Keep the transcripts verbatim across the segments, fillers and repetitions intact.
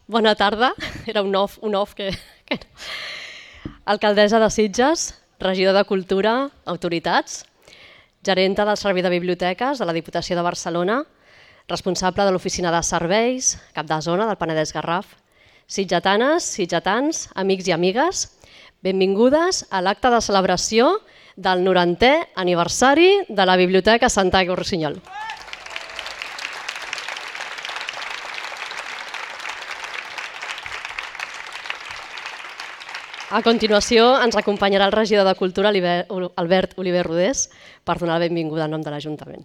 Bona tarda, era un off, un off que... que no. Alcaldessa de Sitges, regidor de Cultura, autoritats, gerenta del Servei de Biblioteques de la Diputació de Barcelona, responsable de l'Oficina de Serveis, cap de zona del Penedès Garraf, sitgetanes, sitgetans, amics i amigues, benvingudes a l'acte de celebració del norantè aniversari de la Biblioteca Santiago-Rossinyol. A continuació ens acompanyarà el regidor de Cultura, Albert Oliver Rodés, per donar la benvinguda en nom de l'Ajuntament.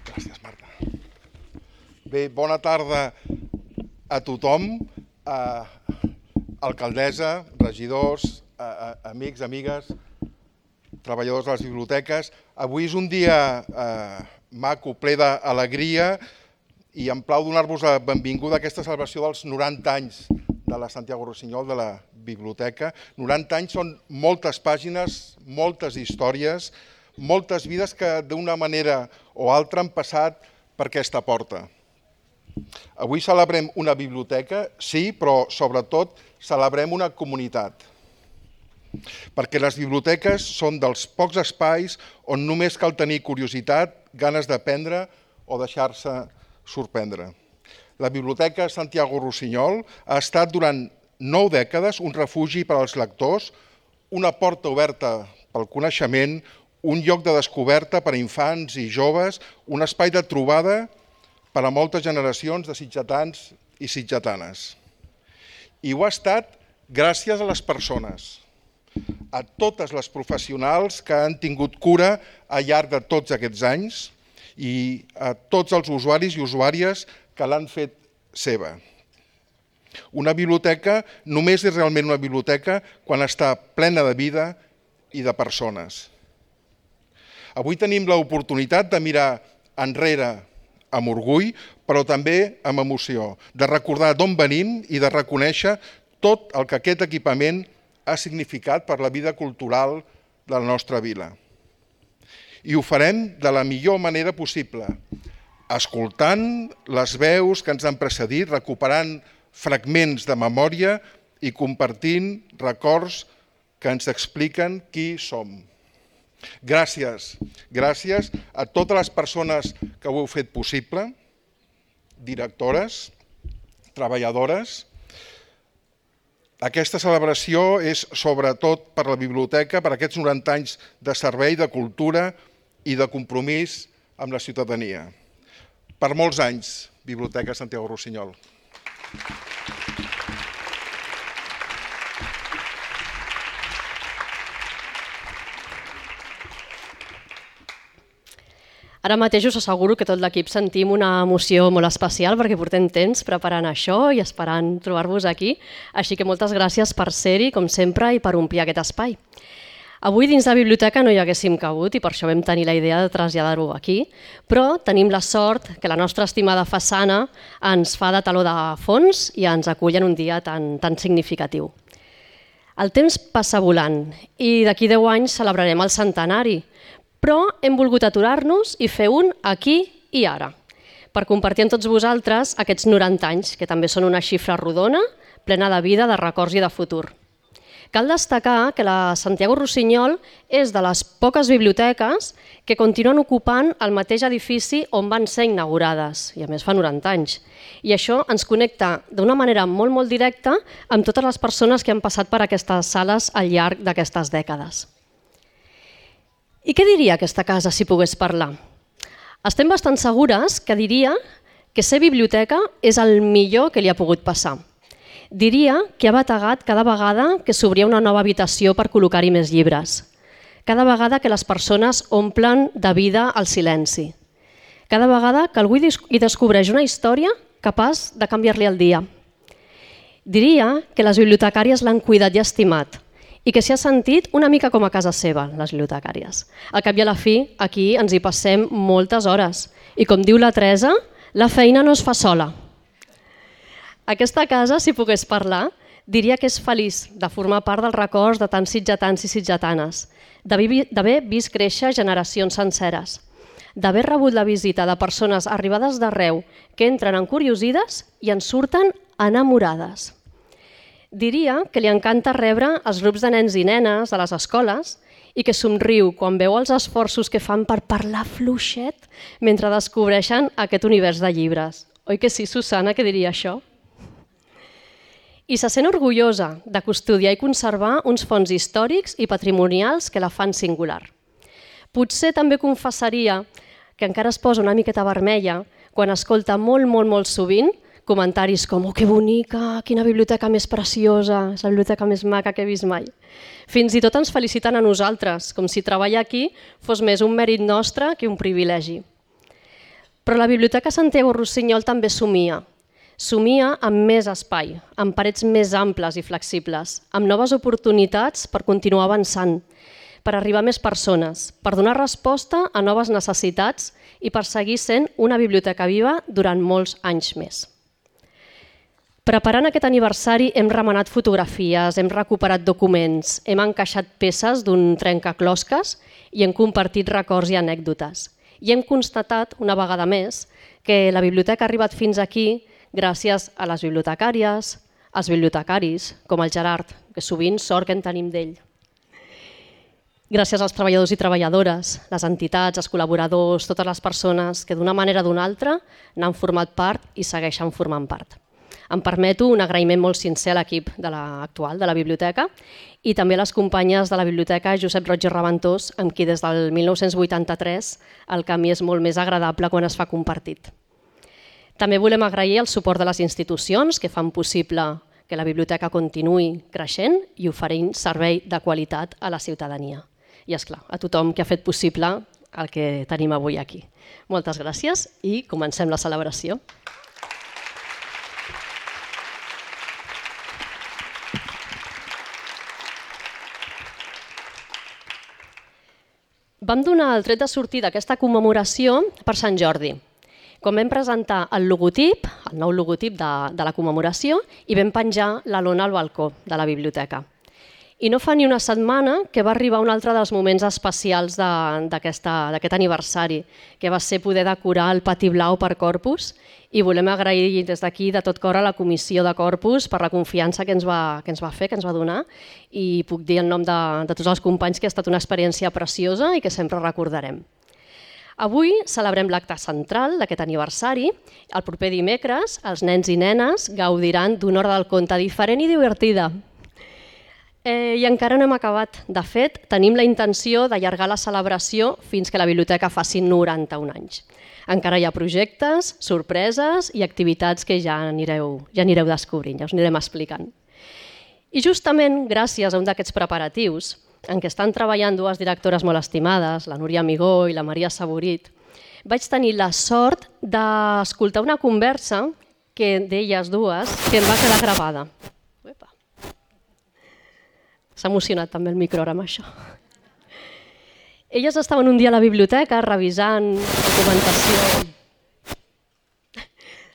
Gràcies, Marta. Bé, bona tarda a tothom, a alcaldessa, regidors, a, a, amics, amigues, treballadors de les biblioteques. Avui és un dia eh, maco, ple d'alegria, i em plau donar-vos la benvinguda a aquesta celebració dels noranta anys de la Santiago-Rossinyol, de la biblioteca. noranta anys són moltes pàgines, moltes històries, moltes vides que d'una manera o altra han passat per aquesta porta. Avui celebrem una biblioteca, sí, però sobretot celebrem una comunitat. Perquè les biblioteques són dels pocs espais on només cal tenir curiositat, ganes d'aprendre o deixar-se sorprendre. La Biblioteca Santiago-Rossinyol ha estat durant nou dècades un refugi per als lectors, una porta oberta pel coneixement, un lloc de descoberta per a infants i joves, un espai de trobada per a moltes generacions de sitgetans i sitgetanes. I ho ha estat gràcies a les persones, a totes les professionals que han tingut cura al llarg de tots aquests anys i a tots els usuaris i usuàries que l'han fet seva. Una biblioteca només és realment una biblioteca quan està plena de vida i de persones. Avui tenim l'oportunitat de mirar enrere amb orgull, però també amb emoció, de recordar d'on venim i de reconèixer tot el que aquest equipament ha significat per la vida cultural de la nostra vila. I ho farem de la millor manera possible, escoltant les veus que ens han precedit, recuperant fragments de memòria i compartint records que ens expliquen qui som. Gràcies, gràcies a totes les persones que ho heu fet possible, directores, treballadores. Aquesta celebració és sobretot per la biblioteca, per aquests noranta anys de servei, de cultura i de compromís amb la ciutadania. Per molts anys, Biblioteca Santiago-Rossinyol. Ara mateix us asseguro que tot l'equip sentim una emoció molt especial perquè portem temps preparant això i esperant trobar-vos aquí. Així que moltes gràcies per ser-hi, com sempre, i per omplir aquest espai. Avui dins la biblioteca no hi haguéssim cabut i per això vam tenir la idea de traslladar-ho aquí, però tenim la sort que la nostra estimada façana ens fa de taló de fons i ens acull en un dia tan, tan significatiu. El temps passa volant i d'aquí deu anys celebrarem el centenari, però hem volgut aturar-nos i fer un aquí i ara, per compartir amb tots vosaltres aquests noranta anys, que també són una xifra rodona, plena de vida, de records i de futur. Cal destacar que la Santiago-Rossinyol és de les poques biblioteques que continuen ocupant el mateix edifici on van ser inaugurades, i a més fa noranta anys. I això ens connecta d'una manera molt, molt directa amb totes les persones que han passat per aquestes sales al llarg d'aquestes dècades. I què diria aquesta casa si pogués parlar? Estem bastant segures que diria que ser biblioteca és el millor que li ha pogut passar. Diria que ha bategat cada vegada que s'obria una nova habitació per col·locar-hi més llibres. Cada vegada que les persones omplen de vida el silenci. Cada vegada que algú hi descobreix una història capaç de canviar-li el dia. Diria que les bibliotecàries l'han cuidat i estimat, i que s'hi ha sentit una mica com a casa seva, les bibliotecàries. Al cap i a la fi, aquí ens hi passem moltes hores. I com diu la Teresa, la feina no es fa sola. Aquesta casa, si pogués parlar, diria que és feliç de formar part dels records de tants sitgetans i sitgetanes. d'haver vist créixer generacions senceres, d'haver rebut la visita de persones arribades d'arreu que entren encuriosides i en surten enamorades. Diria que li encanta rebre els grups de nens i nenes de les escoles i que somriu quan veu els esforços que fan per parlar fluixet mentre descobreixen aquest univers de llibres. Oi que sí, Susana, que diria això? I se sent orgullosa de custodiar i conservar uns fons històrics i patrimonials que la fan singular. Potser també confessaria que encara es posa una miqueta vermella quan escolta molt, molt, molt sovint comentaris com «Oh, que bonica, quina biblioteca més preciosa, és la biblioteca més maca que he vist mai». Fins i tot ens feliciten a nosaltres, com si treballar aquí fos més un mèrit nostre que un privilegi. Però la Biblioteca Santiago Rossinyol també somia. Somia amb més espai, amb parets més amples i flexibles, amb noves oportunitats per continuar avançant, per arribar a més persones, per donar resposta a noves necessitats i per seguir sent una biblioteca viva durant molts anys més. Preparant aquest aniversari hem remenat fotografies, hem recuperat documents, hem encaixat peces d'un trencaclosques i hem compartit records i anècdotes. I hem constatat, una vegada més, que la biblioteca ha arribat fins aquí gràcies a les bibliotecàries, als bibliotecaris, com el Gerard, que sovint sort que en tenim d'ell. Gràcies als treballadors i treballadores, les entitats, els col·laboradors, totes les persones que d'una manera o d'una altra n'han format part i segueixen formant part. Em permeto un agraïment molt sincer a l'equip de l'actual de la biblioteca i també a les companyes de la biblioteca Josep Roig i Reventós, amb qui des del mil nou-cents vuitanta-tres el camí és molt més agradable quan es fa compartit. També volem agrair el suport de les institucions que fan possible que la biblioteca continuï creixent i oferint servei de qualitat a la ciutadania. I, esclar, a tothom que ha fet possible el que tenim avui aquí. Moltes gràcies i comencem la celebració. Vam donar el tret de sortida d'aquesta commemoració per Sant Jordi, quan vam presentar el logotip, el nou logotip de, de la commemoració, i vam penjar la lona al balcó de la biblioteca. I no fa ni una setmana que va arribar un altre dels moments especials d'aquest aniversari, que va ser poder decorar el pati blau per Corpus, i volem agrair des d'aquí de tot cor a la comissió de Corpus per la confiança que ens va, que ens va fer, que ens va donar, i puc dir en nom de, de tots els companys que ha estat una experiència preciosa i que sempre recordarem. Avui celebrem l'acte central d'aquest aniversari. El proper dimecres els nens i nenes gaudiran d'una hora del conte diferent i divertida. Eh, I encara no hem acabat. De fet, tenim la intenció d'allargar la celebració fins que la biblioteca faci noranta-un anys. Encara hi ha projectes, sorpreses i activitats que ja anireu, ja anireu descobrint, ja us anirem explicant. I justament gràcies a un d'aquests preparatius, en què estan treballant dues directores molt estimades, la Núria Amigó i la Maria Saborit, vaig tenir la sort d'escoltar una conversa que d'elles dues que em va quedar gravada. Uepa. S'ha emocionat també el micro ara amb això. Elles estaven un dia a la biblioteca revisant documentació,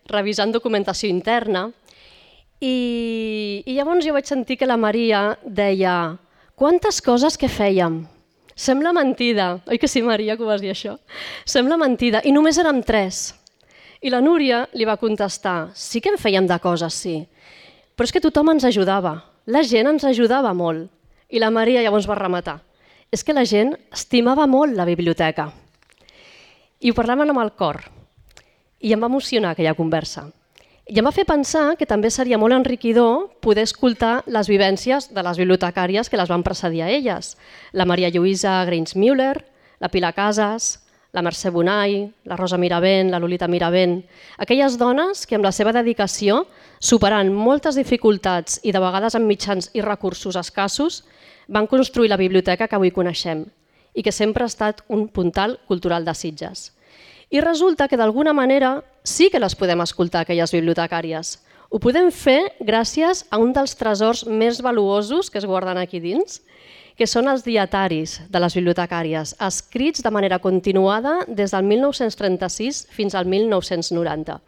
revisant documentació interna i, i llavors jo vaig sentir que la Maria deia «Quantes coses que fèiem! Sembla mentida!» Oi que sí, Maria, que ho vas dir això? «Sembla mentida, i només érem tres». I la Núria li va contestar «Sí que en fèiem de coses, sí, però és que tothom ens ajudava, la gent ens ajudava molt». I la Maria llavors va rematar «És que la gent estimava molt la biblioteca». I ho parlàvem amb el cor, i em va emocionar aquella conversa. I em va fer pensar que també seria molt enriquidor poder escoltar les vivències de les bibliotecàries que les van precedir a elles. La Maria Lluïsa Greins-Müller, la Pilar Casas, la Mercè Bonai, la Rosa Miravent, la Lolita Miravent, aquelles dones que amb la seva dedicació, superant moltes dificultats i de vegades amb mitjans i recursos escassos, van construir la biblioteca que avui coneixem i que sempre ha estat un puntal cultural de Sitges. I resulta que d'alguna manera sí que les podem escoltar, aquelles bibliotecàries. Ho podem fer gràcies a un dels tresors més valuosos que es guarden aquí dins, que són els dietaris de les bibliotecàries, escrits de manera continuada des del mil nou-cents trenta-sis fins al mil nou-cents noranta.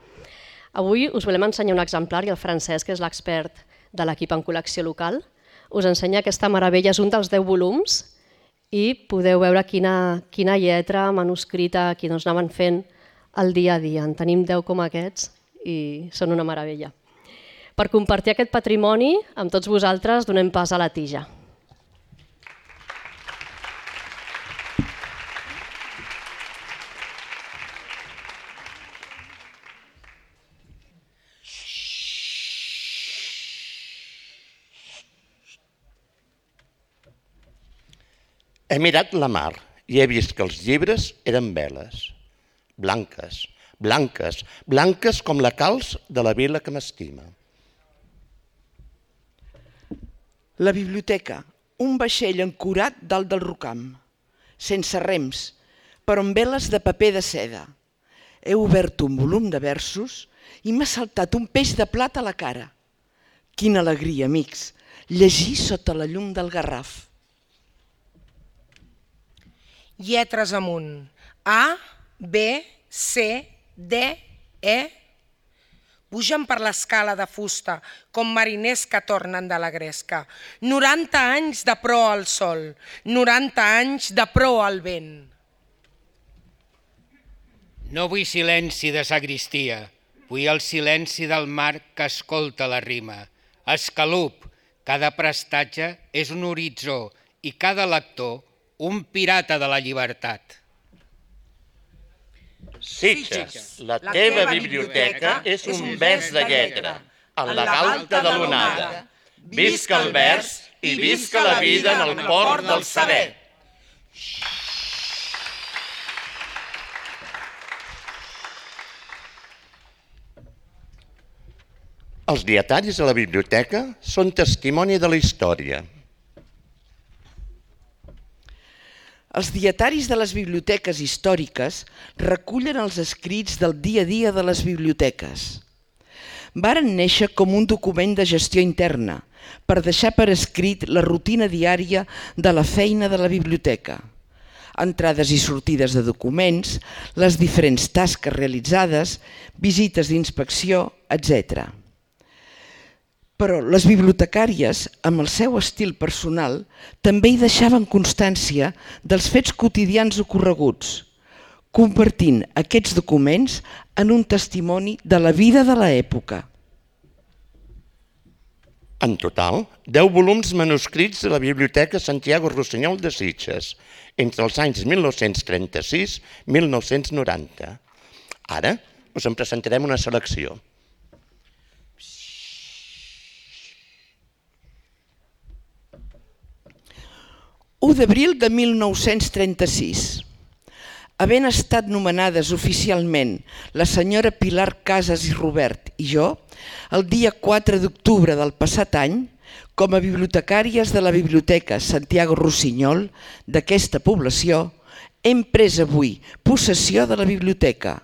Avui us volem ensenyar un exemplar i el Francesc, que és l'expert de l'equip en col·lecció local, us ensenya aquesta meravella. És un dels deu volums i podeu veure quina, quina lletra manuscrita aquí doncs, anaven fent el dia a dia. En tenim deu com aquests i són una meravella. Per compartir aquest patrimoni amb tots vosaltres donem pas a la tija. He mirat la mar i he vist que els llibres eren veles, blanques, blanques, blanques com la calç de la vila que m'estima. La biblioteca, un vaixell ancorat dalt del rocam, sense rems, però amb veles de paper de seda. He obert un volum de versos i m'ha saltat un peix de plata a la cara. Quina alegria, amics, llegir sota la llum del Garraf. Lletres amunt. A, B, C, D, E. Pugen per l'escala de fusta com mariners que tornen de la gresca. noranta anys de proa al sol, noranta anys de proa al vent. No vull silenci de sagristia, vull el silenci del mar que escolta la rima. Escalup, cada prestatge és un horitzó i cada lector un pirata de la llibertat. Sitges, la teva biblioteca és un vers de lletra, en la galta de l'onada. Visca el vers i visca la vida en el port del saber. Els dietaris a la biblioteca són testimoni de la història. Els dietaris de les biblioteques històriques recullen els escrits del dia a dia de les biblioteques. Varen néixer com un document de gestió interna, per deixar per escrit la rutina diària de la feina de la biblioteca. Entrades i sortides de documents, les diferents tasques realitzades, visites d'inspecció, etcètera. Però les bibliotecàries, amb el seu estil personal, també hi deixaven constància dels fets quotidians ocorreguts, convertint aquests documents en un testimoni de la vida de l'època. En total, deu volums manuscrits de la Biblioteca Santiago Rossinyol de Sitges, entre els anys mil nou-cents trenta-sis i mil nou-cents noranta. Ara us en presentarem una selecció. u d'abril de mil nou-cents trenta-sis. Havent estat nomenades oficialment la senyora Pilar Casas i Robert i jo, el dia quatre d'octubre del passat any, com a bibliotecàries de la Biblioteca Santiago Rossinyol d'aquesta població, hem pres avui possessió de la biblioteca,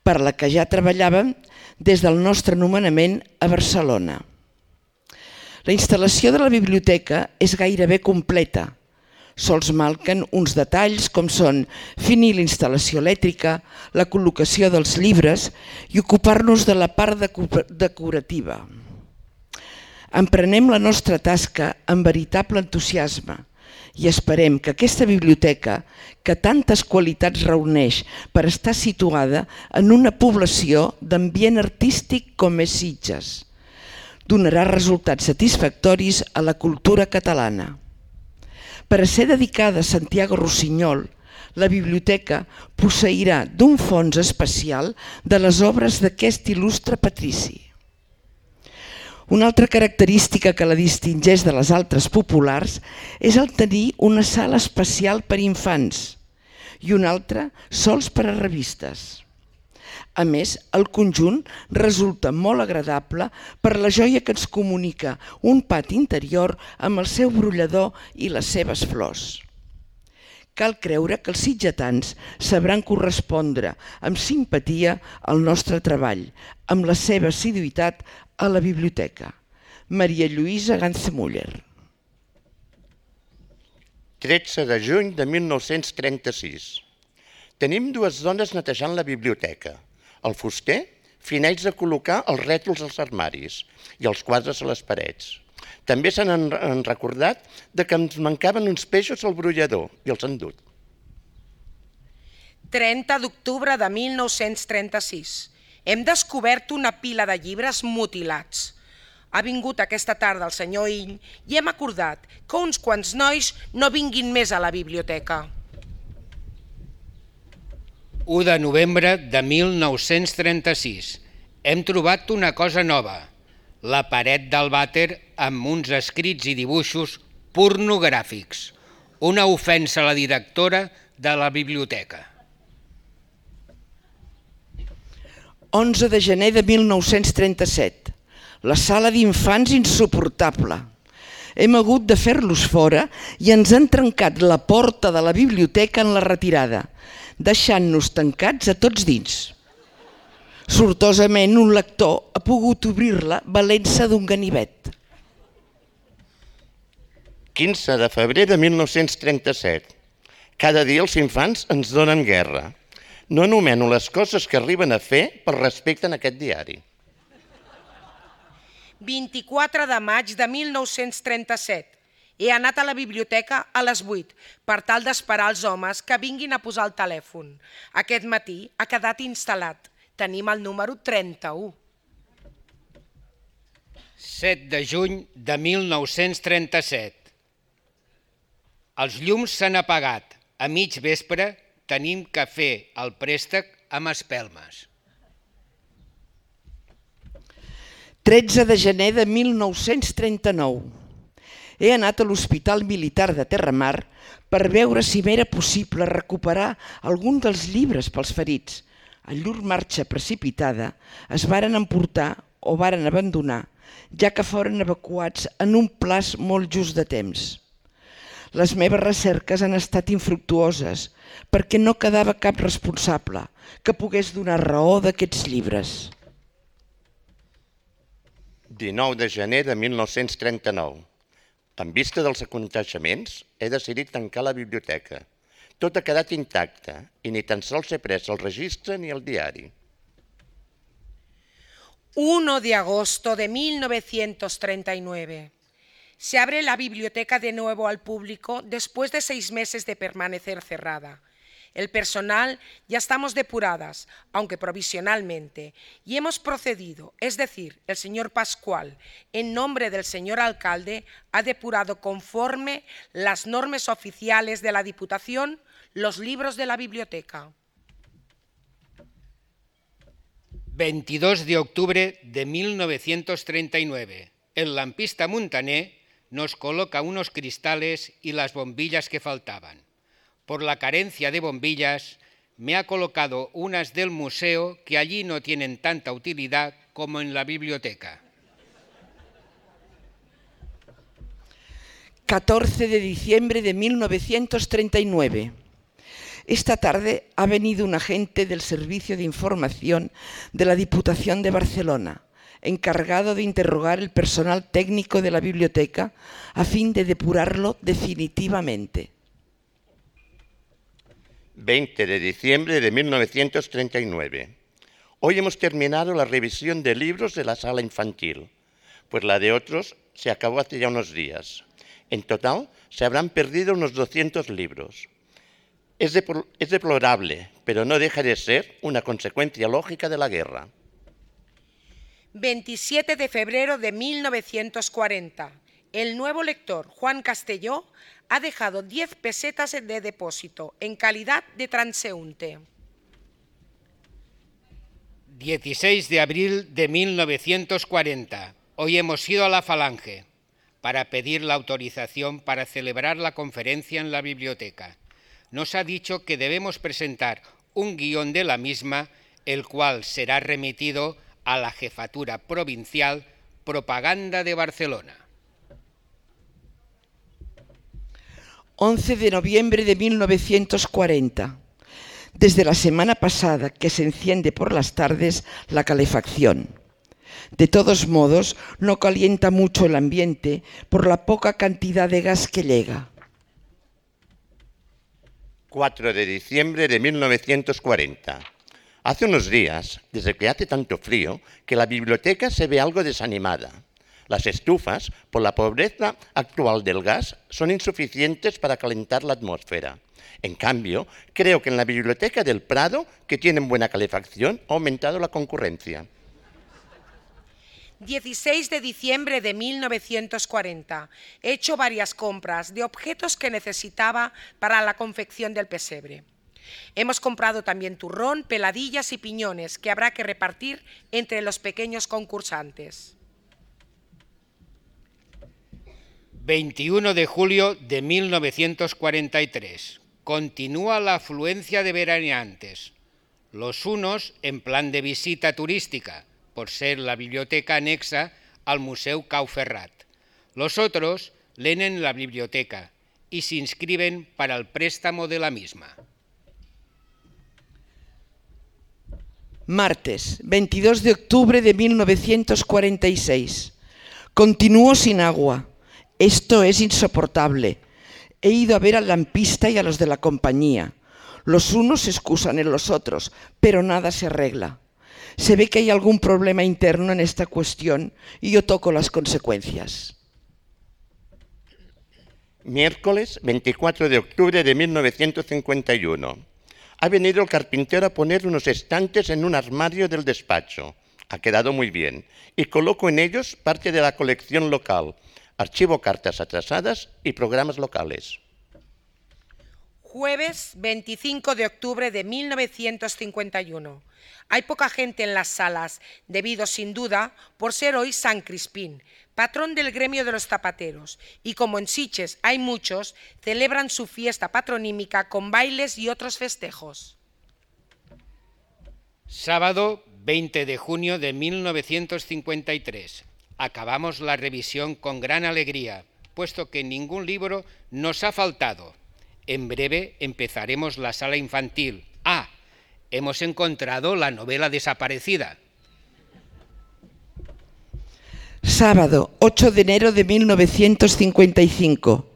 per la que ja treballàvem des del nostre nomenament a Barcelona. La instal·lació de la biblioteca és gairebé completa. Sols manquen uns detalls com són finir l'instal·lació elèctrica, la col·locació dels llibres i ocupar-nos de la part decorativa. Emprenem la nostra tasca amb veritable entusiasme i esperem que aquesta biblioteca, que tantes qualitats reuneix per estar situada en una població d'ambient artístic com és Sitges, donarà resultats satisfactoris a la cultura catalana. Per a ser dedicada a Santiago Rossinyol, la biblioteca posseirà d'un fons especial de les obres d'aquest il·lustre patrici. Una altra característica que la distingeix de les altres populars és el tenir una sala especial per a infants i una altra sols per a revistes. A més, el conjunt resulta molt agradable per la joia que ens comunica un pati interior amb el seu brollador i les seves flors. Cal creure que els sitgetans sabran correspondre amb simpatia al nostre treball, amb la seva assiduïtat a la biblioteca. Maria Lluïsa Ganzemuller. tretze de juny de mil nou-cents trenta-sis. Tenim dues dones netejant la biblioteca. El fuster fineix de col·locar els rètols als armaris i els quadres a les parets. També se n'han recordat de que ens mancaven uns peixos al brollador i els han dut. trenta d'octubre de mil nou-cents trenta-sis. Hem descobert una pila de llibres mutilats. Ha vingut aquesta tarda el senyor Ill i hem acordat que uns quants nois no vinguin més a la biblioteca. u de novembre de mil nou-cents trenta-sis. Hem trobat una cosa nova, la paret del vàter amb uns escrits i dibuixos pornogràfics. Una ofensa a la directora de la biblioteca. onze de gener de mil nou-cents trenta-set. La sala d'infants insuportable. Hem hagut de fer-los fora i ens han trencat la porta de la biblioteca en la retirada, deixant-nos tancats a tots dins. Sortosament, un lector ha pogut obrir-la valent-se d'un ganivet. quinze de febrer de mil nou-cents trenta-set. Cada dia els infants ens donen guerra. No anomeno les coses que arriben a fer per respecte en aquest diari. vint-i-quatre de maig de mil nou-cents trenta-set. He anat a la biblioteca a les vuit per tal d'esperar els homes que vinguin a posar el telèfon. Aquest matí ha quedat instal·lat. Tenim el número trenta-u. set de juny de mil nou-cents trenta-set. Els llums s'han apagat. A mig vespre tenim que fer el préstec amb espelmes. tretze de gener de mil nou-cents trenta-nou. He anat a l'Hospital Militar de Terramar per veure si m'era possible recuperar algun dels llibres pels ferits. En llur marxa precipitada es varen emportar o varen abandonar, ja que foren evacuats en un plaç molt just de temps. Les meves recerques han estat infructuoses perquè no quedava cap responsable que pogués donar raó d'aquests llibres. dinou de gener de mil nou-cents trenta-nou. En vista dels aconteixements, he decidit tancar la biblioteca. Tot ha quedat intacte i ni tan sols he pres el registre ni el diari. uno de agosto de mil novecientos treinta y nueve. Se abre la biblioteca de nuevo al público después de seis meses de permanecer cerrada. El personal ya estamos depuradas, aunque provisionalmente, y hemos procedido, es decir, el señor Pascual, en nombre del señor alcalde, ha depurado conforme las normas oficiales de la Diputación los libros de la biblioteca. veintidós de octubre de mil novecientos treinta y nueve. El lampista Montaner nos coloca unos cristales y las bombillas que faltaban. Por la carencia de bombillas, me ha colocado unas del museo que allí no tienen tanta utilidad como en la biblioteca. catorce de diciembre de mil novecientos treinta y nueve. Esta tarde ha venido un agente del Servicio de Información de la Diputación de Barcelona, encargado de interrogar el personal técnico de la biblioteca a fin de depurarlo definitivamente. veinte de diciembre de mil novecientos treinta y nueve. Hoy hemos terminado la revisión de libros de la sala infantil, pues la de otros se acabó hace ya unos días. En total se habrán perdido unos doscientos libros. Es, de, es deplorable, pero no deja de ser una consecuencia lógica de la guerra. veintisiete de febrero de mil novecientos cuarenta. El nuevo lector, Juan Castelló, ha dejado diez pesetas de depósito en calidad de transeúnte. dieciséis de abril de mil novecientos cuarenta. Hoy hemos ido a la Falange para pedir la autorización para celebrar la conferencia en la biblioteca. Nos ha dicho que debemos presentar un guión de la misma, el cual será remitido a la Jefatura Provincial Propaganda de Barcelona. once de noviembre de mil novecientos cuarenta. Desde la semana pasada que se enciende por las tardes la calefacción. De todos modos, no calienta mucho el ambiente por la poca cantidad de gas que llega. cuatro de diciembre de mil novecientos cuarenta. Hace unos días, desde que hace tanto frío, que la biblioteca se ve algo desanimada. Las estufas, por la pobreza actual del gas, son insuficientes para calentar la atmósfera. En cambio, creo que en la Biblioteca del Prado, que tienen buena calefacción, ha aumentado la concurrencia. dieciséis de diciembre de mil novecientos cuarenta. He hecho varias compras de objetos que necesitaba para la confección del pesebre. Hemos comprado también turrón, peladillas y piñones que habrá que repartir entre los pequeños concursantes. veintiuno de julio de mil novecientos cuarenta y tres. Continúa la afluencia de veraneantes. Los unos en plan de visita turística, por ser la biblioteca anexa al Museu Cau Ferrat. Los otros leen en la biblioteca y se inscriben para el préstamo de la misma. Martes, veintidós de octubre de mil novecientos cuarenta y seis. Continúo sin agua. Esto es insoportable. He ido a ver al lampista y a los de la compañía. Los unos se excusan en los otros, pero nada se arregla. Se ve que hay algún problema interno en esta cuestión y yo toco las consecuencias. Miércoles veinticuatro de octubre de mil novecientos cincuenta y uno. Ha venido el carpintero a poner unos estantes en un armario del despacho. Ha quedado muy bien y coloco en ellos parte de la colección local. Archivo cartas atrasadas y programas locales. Jueves veinticinco de octubre de mil novecientos cincuenta y uno. Hay poca gente en las salas, debido sin duda por ser hoy San Crispín, patrón del gremio de los zapateros, y como en Sitges hay muchos, celebran su fiesta patronímica con bailes y otros festejos. Sábado veinte de junio de mil novecientos cincuenta y tres. Acabamos la revisión con gran alegría, puesto que ningún libro nos ha faltado. En breve empezaremos la sala infantil. Ah, hemos encontrado la novela desaparecida. Sábado, ocho de enero de mil novecientos cincuenta y cinco.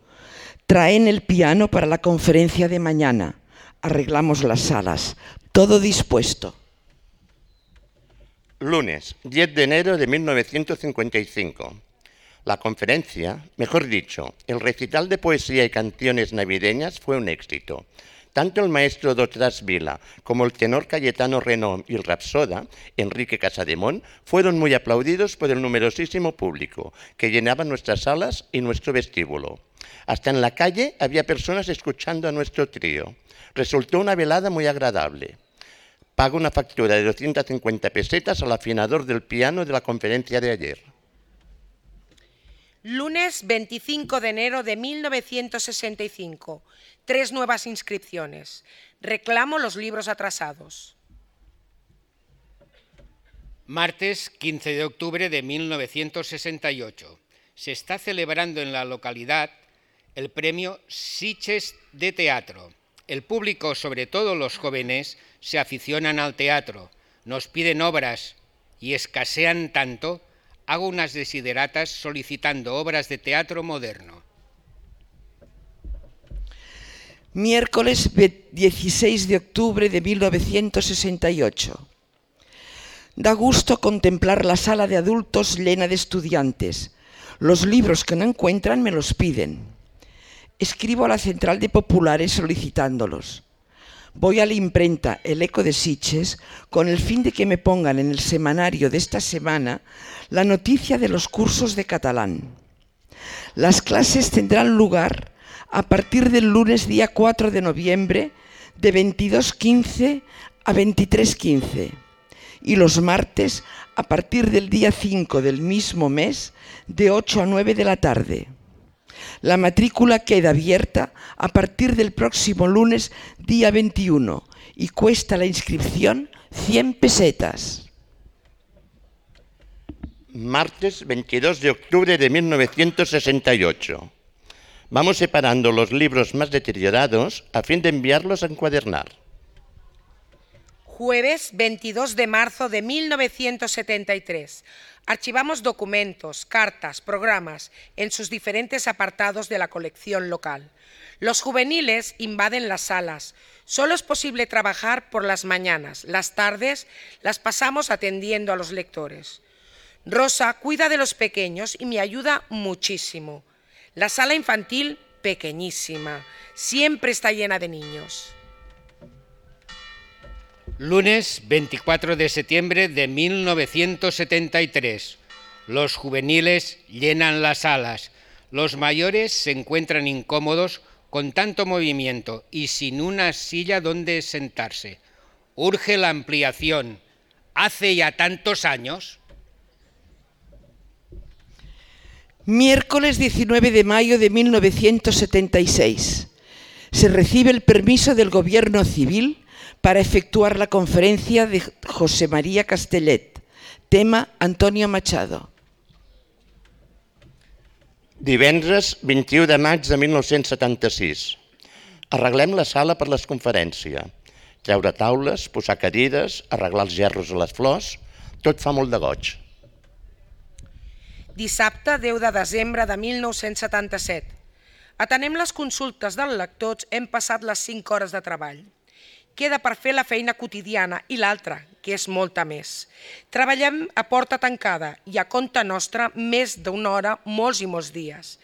Traen el piano para la conferencia de mañana. Arreglamos las salas. Todo dispuesto. Lunes, diez de enero de mil novecientos cincuenta y cinco. La conferencia, mejor dicho, el recital de poesía y canciones navideñas fue un éxito. Tanto el maestro Dotras Vila como el tenor Cayetano Renón y el rapsoda Enrique Casademón fueron muy aplaudidos por el numerosísimo público que llenaba nuestras salas y nuestro vestíbulo. Hasta en la calle había personas escuchando a nuestro trío. Resultó una velada muy agradable. Pago una factura de doscientas cincuenta pesetas al afinador del piano de la conferencia de ayer. Lunes veinticinco de enero de mil novecientos sesenta y cinco. Tres nuevas inscripciones. Reclamo los libros atrasados. Martes quince de octubre de mil novecientos sesenta y ocho. Se está celebrando en la localidad el premio Sitges de Teatro. El público, sobre todo los jóvenes, se aficionan al teatro, nos piden obras y escasean tanto, hago unas desideratas solicitando obras de teatro moderno. Miércoles dieciséis de octubre de mil novecientos sesenta y ocho. Da gusto contemplar la sala de adultos llena de estudiantes. Los libros que no encuentran me los piden. Escribo a la central de populares solicitándolos. Voy a la imprenta El Eco de Sitges con el fin de que me pongan en el semanario de esta semana la noticia de los cursos de catalán. Las clases tendrán lugar a partir del lunes día cuatro de noviembre de veintidós quince a veintitrés quince y los martes a partir del día cinco del mismo mes de ocho a nueve de la tarde. La matrícula queda abierta a partir del próximo lunes, día veintiuno, y cuesta la inscripción cien pesetas. Martes veintidós de octubre de mil novecientos sesenta y ocho. Vamos separando los libros más deteriorados a fin de enviarlos a encuadernar. Jueves veintidós de marzo de mil novecientos setenta y tres. Archivamos documentos, cartas, programas en sus diferentes apartados de la colección local. Los juveniles invaden las salas. Solo es posible trabajar por las mañanas. Las tardes las pasamos atendiendo a los lectores. Rosa cuida de los pequeños y me ayuda muchísimo. La sala infantil, pequeñísima, siempre está llena de niños. Lunes veinticuatro de septiembre de mil novecientos setenta y tres. Los juveniles llenan las salas. Los mayores se encuentran incómodos con tanto movimiento y sin una silla donde sentarse. Urge la ampliación. ¿Hace ya tantos años? Miércoles diecinueve de mayo de mil novecientos setenta y seis. Se recibe el permiso del Gobierno Civil para efectuar la conferencia de José María Castellet. Tema Antonio Machado. Divendres vint-i-u de maig de mil nou-cents setanta-sis. Arreglem la sala per les conferències. Treure taules, posar cadires, arreglar els gerros a les flors, tot fa molt de goig. Dissabte deu de desembre de mil nou-cents setanta-set. Atenem les consultes dels lectors, hem passat les cinc hores de treball. Queda per fer la feina quotidiana i l'altra, que és molta més. Treballem a porta tancada i a compte nostra més d'una hora, molts i molts dies.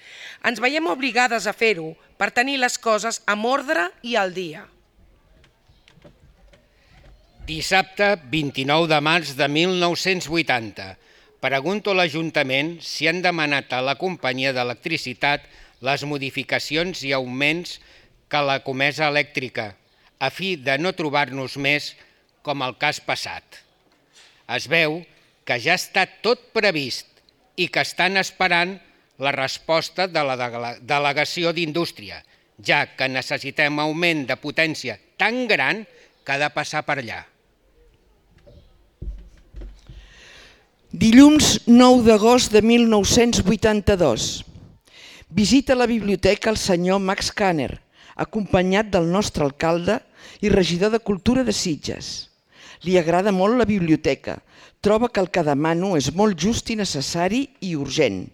Ens veiem obligades a fer-ho per tenir les coses amb ordre i al dia. Dissabte vint-i-nou de març de mil nou-cents vuitanta. Pregunto a l'Ajuntament si han demanat a la companyia d'electricitat les modificacions i augments que la comesa elèctrica, a fi de no trobar-nos més com el cas passat. Es veu que ja està tot previst i que estan esperant la resposta de la Delegació d'Indústria, ja que necessitem augment de potència tan gran que ha de passar per allà. Dilluns nou d'agost de mil nou-cents vuitanta-dos. Visita a la biblioteca el senyor Max Kanner, acompanyat del nostre alcalde i regidor de Cultura de Sitges. Li agrada molt la biblioteca, troba que el que demano és molt just i necessari i urgent.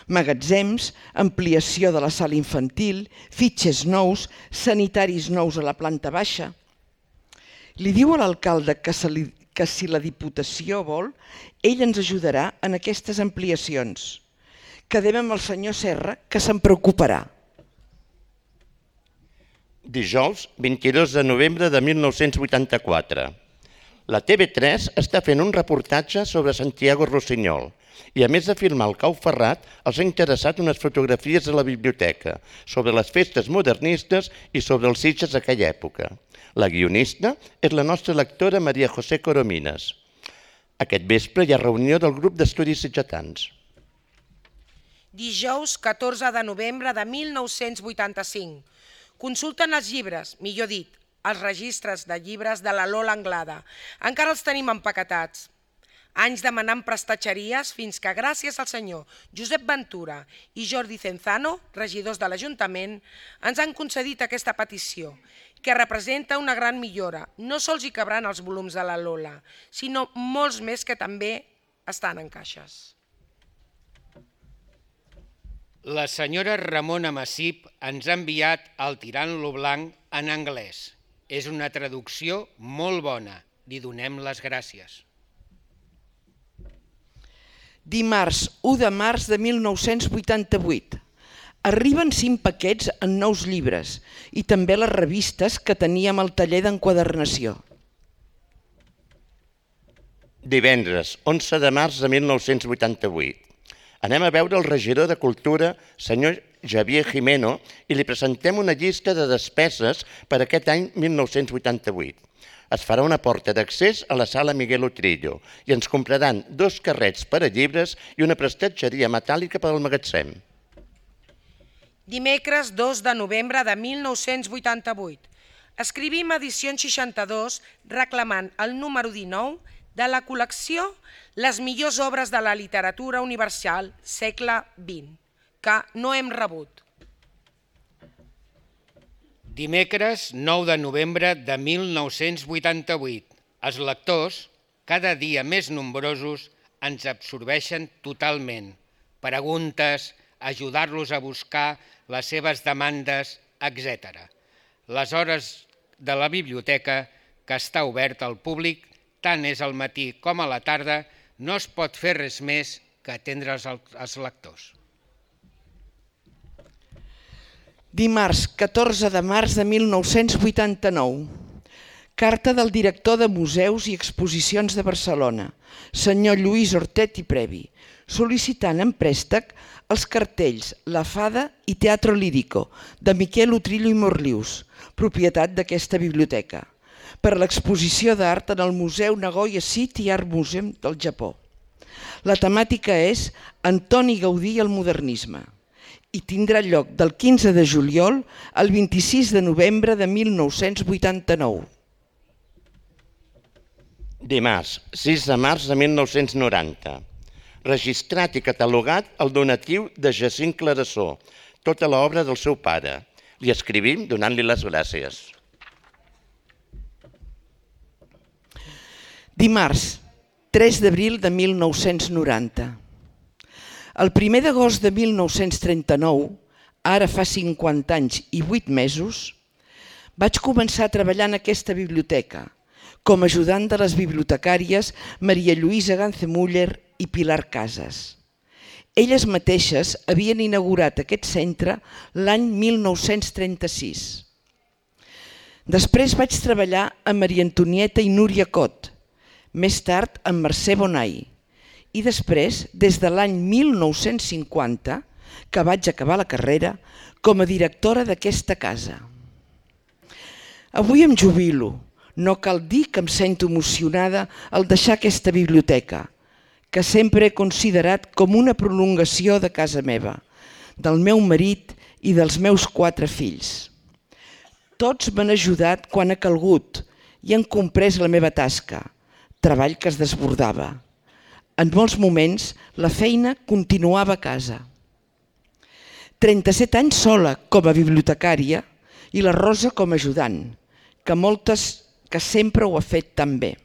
Magatzems, ampliació de la sala infantil, fitxers nous, sanitaris nous a la planta baixa. Li diu a l'alcalde que, se li, que si la Diputació vol, ell ens ajudarà en aquestes ampliacions. Quedem amb el senyor Serra, que se'n preocuparà. Dijous, vint-i-dos de novembre de mil nou-cents vuitanta-quatre. La T V tres està fent un reportatge sobre Santiago Rossinyol i, a més de filmar el Cau Ferrat, els ha interessat unes fotografies de la biblioteca sobre les festes modernistes i sobre els Sitges d'aquella època. La guionista és la nostra lectora Maria José Coromines. Aquest vespre hi ha reunió del grup d'estudis sitgetans. Dijous catorze de novembre de mil nou-cents vuitanta-cinc. Consulten els llibres, millor dit, els registres de llibres de la Lola Anglada. Encara els tenim empaquetats. Anys demanant prestatgeries fins que, gràcies al senyor Josep Ventura i Jordi Cenzano, regidors de l'Ajuntament, ens han concedit aquesta petició, que representa una gran millora. No sols hi cabran els volums de la Lola, sinó molts més que també estan en caixes. La senyora Ramona Massip ens ha enviat el Tirant-lo blanc en anglès. És una traducció molt bona. Li donem les gràcies. Dimarts u de març de mil nou-cents vuitanta-vuit. Arriben cinc paquets en nous llibres i també les revistes que teníem al taller d'enquadernació. Divendres, onze de març de mil nou-cents vuitanta-vuit. Anem a veure el regidor de Cultura, senyor Javier Jimeno, i li presentem una llista de despeses per aquest any mil nou-cents vuitanta-vuit. Es farà una porta d'accés a la sala Miguel Utrillo i ens compraran dos carrets per a llibres i una prestatgeria metàl·lica per al magatzem. Dimecres dos de novembre de mil nou-cents vuitanta-vuit. Escrivim edicions seixanta-dos reclamant el número dinou de la col·lecció Les millors obres de la literatura universal segle vint, que no hem rebut. Dimecres nou de novembre de mil nou-cents vuitanta-vuit. Els lectors, cada dia més nombrosos, ens absorbeixen totalment. Preguntes, ajudar-los a buscar les seves demandes, etcètera. Les hores de la biblioteca, que està oberta al públic, tant és al matí com a la tarda, no es pot fer res més que atendre els lectors. Dimarts, catorze de març de mil nou-cents vuitanta-nou. Carta del director de Museus i Exposicions de Barcelona, senyor Lluís Hortet i Previ, sol·licitant en préstec els cartells La Fada i Teatro Lírico de Miquel Utrillo i Morlius, propietat d'aquesta biblioteca, per l'exposició d'art en el Museu Nagoya City Art Museum del Japó. La temàtica és Antoni Gaudí i el modernisme i tindrà lloc del quinze de juliol al vint-i-sis de novembre de mil nou-cents vuitanta-nou. Dimarts, sis de març de mil nou-cents noranta. Registrat i catalogat el donatiu de Jacint Clarasó, tota l'obra del seu pare. Li escrivim donant-li les gràcies. Dimarts, tres d'abril de mil nou-cents noranta. El primer d'agost de mil nou-cents trenta-nou, ara fa cinquanta anys i vuit mesos, vaig començar a treballar en aquesta biblioteca com a ajudant de les bibliotecàries Maria Lluïsa Gancemuller i Pilar Casas. Elles mateixes havien inaugurat aquest centre l'any mil nou-cents trenta-sis. Després vaig treballar amb Maria Antonieta i Núria Cot, més tard amb Mercè Bonai, i després, des de l'any mil nou-cents cinquanta, que vaig acabar la carrera, com a directora d'aquesta casa. Avui em jubilo. No cal dir que em sento emocionada al deixar aquesta biblioteca, que sempre he considerat com una prolongació de casa meva, del meu marit i dels meus quatre fills. Tots m'han ajudat quan ha calgut i han comprès la meva tasca, treball que es desbordava. En molts moments la feina continuava a casa. trenta-set anys sola com a bibliotecària i la Rosa com a ajudant, que moltes que sempre ho ha fet tan bé.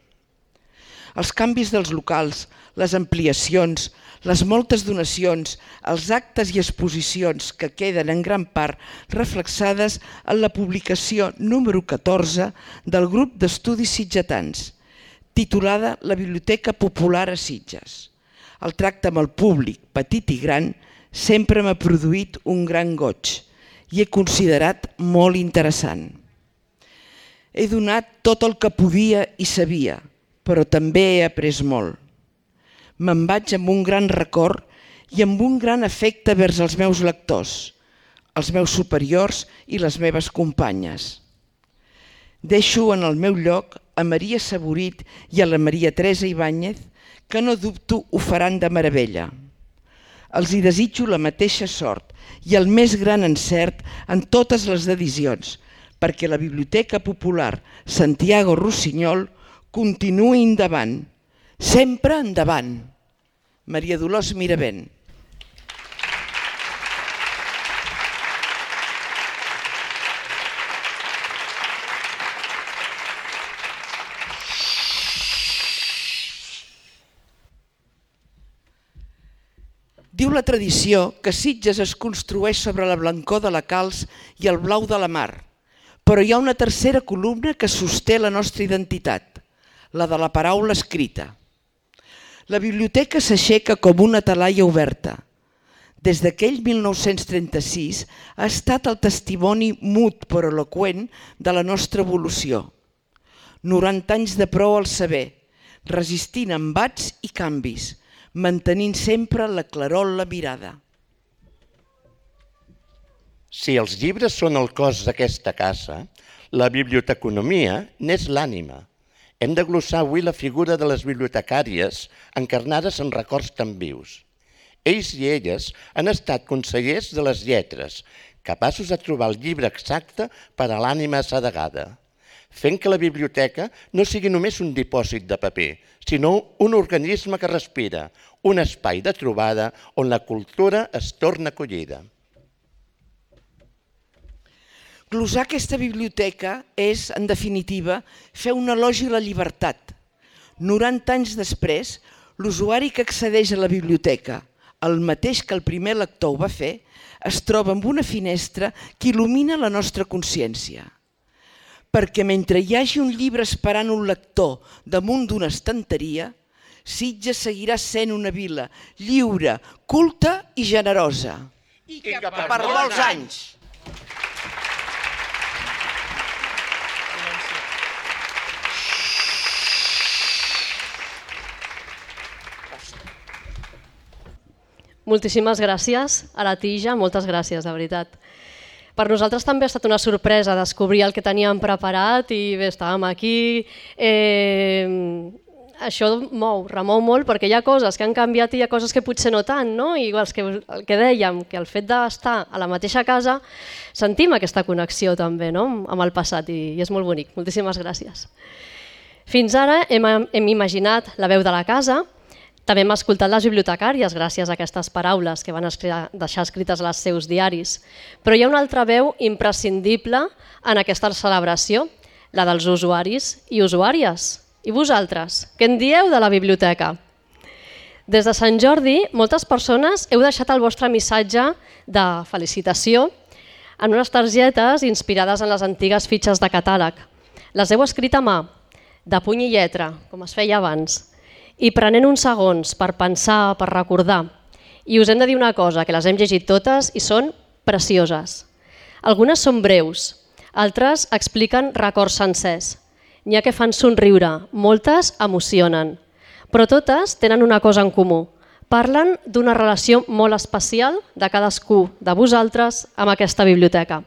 Els canvis dels locals, les ampliacions, les moltes donacions, els actes i exposicions que queden en gran part reflexades en la publicació número catorze del grup d'estudis sitgetans, titulada La Biblioteca Popular a Sitges. El tracte amb el públic, petit i gran, sempre m'ha produït un gran goig i he considerat molt interessant. He donat tot el que podia i sabia, però també he après molt. Me'n vaig amb un gran record i amb un gran afecte vers els meus lectors, els meus superiors i les meves companyes. Deixo en el meu lloc a Maria Saborit i a la Maria Teresa Ibáñez, que no dubto ho faran de meravella. Els hi desitjo la mateixa sort i el més gran encert en totes les edicions, perquè la Biblioteca Popular Santiago Rossinyol continuï endavant, sempre endavant. Maria Dolors Miravent. Diu la tradició que Sitges es construeix sobre la blancor de la calç i el blau de la mar, però hi ha una tercera columna que sosté la nostra identitat, la de la paraula escrita. La biblioteca s'aixeca com una talaia oberta. Des d'aquell mil nou-cents trenta-sis ha estat el testimoni mut però eloqüent de la nostra evolució. noranta anys de prou al saber, resistint embats i canvis, mantenint sempre la claror en la mirada. Si els llibres són el cos d'aquesta casa, la biblioteconomia n'és l'ànima. Hem de glossar avui la figura de les bibliotecàries encarnades en records tan vius. Ells i elles han estat consellers de les lletres, capaços de trobar el llibre exacte per a l'ànima assedegada, fent que la biblioteca no sigui només un dipòsit de paper, sinó un organisme que respira, un espai de trobada on la cultura es torna acollida. Glosar aquesta biblioteca és, en definitiva, fer un elogi a la llibertat. noranta anys després, l'usuari que accedeix a la biblioteca, el mateix que el primer lector ho va fer, es troba amb una finestra que il·lumina la nostra consciència. Perquè mentre hi hagi un llibre esperant un lector damunt d'una estanteria, Sitges seguirà sent una vila lliure, culta i generosa. I que per, per molts anys. Moltíssimes gràcies a la Tija, moltes gràcies, de veritat. Per nosaltres també ha estat una sorpresa descobrir el que teníem preparat i bé, estàvem aquí. Eh, això mou, remou molt, perquè hi ha coses que han canviat i hi ha coses que potser no tant, no? I els que, el que dèiem, que el fet d'estar a la mateixa casa sentim aquesta connexió també, no? Amb el passat i, i és molt bonic. Moltíssimes gràcies. Fins ara hem, hem imaginat la veu de la casa. També hem escoltat les bibliotecàries gràcies a aquestes paraules que van deixar escrites als seus diaris. Però hi ha una altra veu imprescindible en aquesta celebració, la dels usuaris i usuàries. I vosaltres, què en dieu de la biblioteca? Des de Sant Jordi, moltes persones heu deixat el vostre missatge de felicitació en unes targetes inspirades en les antigues fitxes de catàleg. Les heu escrit a mà, de puny i lletra, com es feia abans, i prenent uns segons per pensar, per recordar. I us hem de dir una cosa, que les hem llegit totes i són precioses. Algunes són breus, altres expliquen records sencers. N'hi ha que fan somriure, moltes emocionen, però totes tenen una cosa en comú. Parlen d'una relació molt especial de cadascú de vosaltres amb aquesta biblioteca.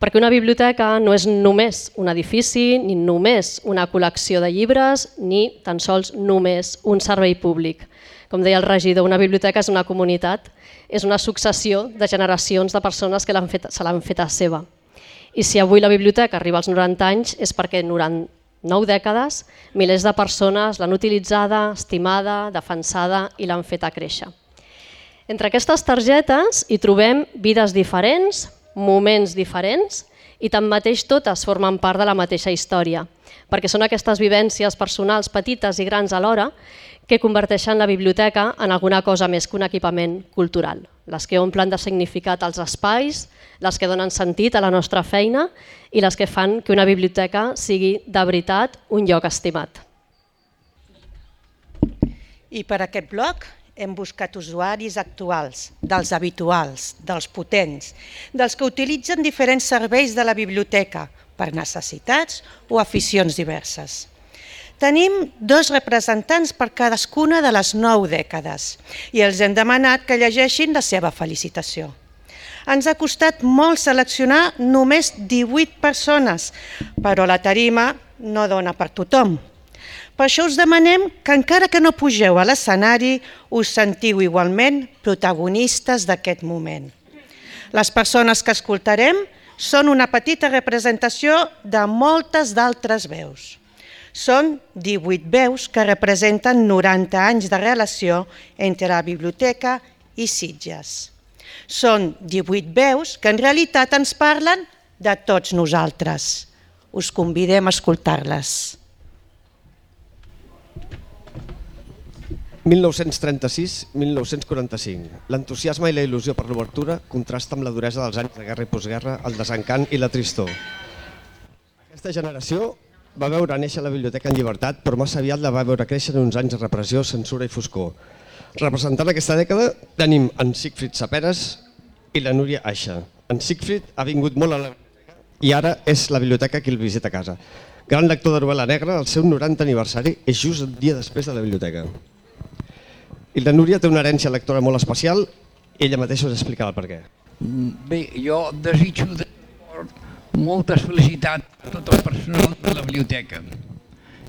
Perquè una biblioteca no és només un edifici, ni només una col·lecció de llibres, ni tan sols només un servei públic. Com deia el regidor, una biblioteca és una comunitat, és una successió de generacions de persones que l'han fet, se l'han fet a seva. I si avui la biblioteca arriba als noranta anys és perquè durant nou dècades milers de persones l'han utilitzada, estimada, defensada i l'han feta créixer. Entre aquestes targetes hi trobem vides diferents, moments diferents i tanmateix totes formen part de la mateixa història, perquè són aquestes vivències personals petites i grans alhora que converteixen la biblioteca en alguna cosa més que un equipament cultural, les que omplen de significat els espais, les que donen sentit a la nostra feina i les que fan que una biblioteca sigui de veritat un lloc estimat. I per aquest bloc hem buscat usuaris actuals, dels habituals, dels potents, dels que utilitzen diferents serveis de la biblioteca per necessitats o aficions diverses. Tenim dos representants per cadascuna de les nou dècades i els hem demanat que llegeixin la seva felicitació. Ens ha costat molt seleccionar només divuit persones, però la tarima no dona per tothom. Per això us demanem que encara que no pugeu a l'escenari, us sentiu igualment protagonistes d'aquest moment. Les persones que escoltarem són una petita representació de moltes d'altres veus. Són divuit veus que representen noranta anys de relació entre la biblioteca i Sitges. Són divuit veus que en realitat ens parlen de tots nosaltres. Us convidem a escoltar-les. mil nou-cents trenta-sis a mil nou-cents quaranta-cinc. L'entusiasme i la il·lusió per l'obertura contrasta amb la duresa dels anys de guerra i postguerra, el desencant i la tristor. Aquesta generació va veure néixer la biblioteca en llibertat, però massa aviat la va veure créixer en uns anys de repressió, censura i foscor. Representant aquesta dècada tenim en Sigfrid Saperes i la Núria Aixa. En Sigfrid ha vingut molt a la biblioteca i ara és la biblioteca qui el visita a casa. Gran lector de novel·la negra, el seu noranta aniversari és just un dia després de la biblioteca. I la Núria té una herència lectora molt especial i ella mateixa us explicarà el per què. Bé, jo desitjo de molta felicitat a tot el personal de la biblioteca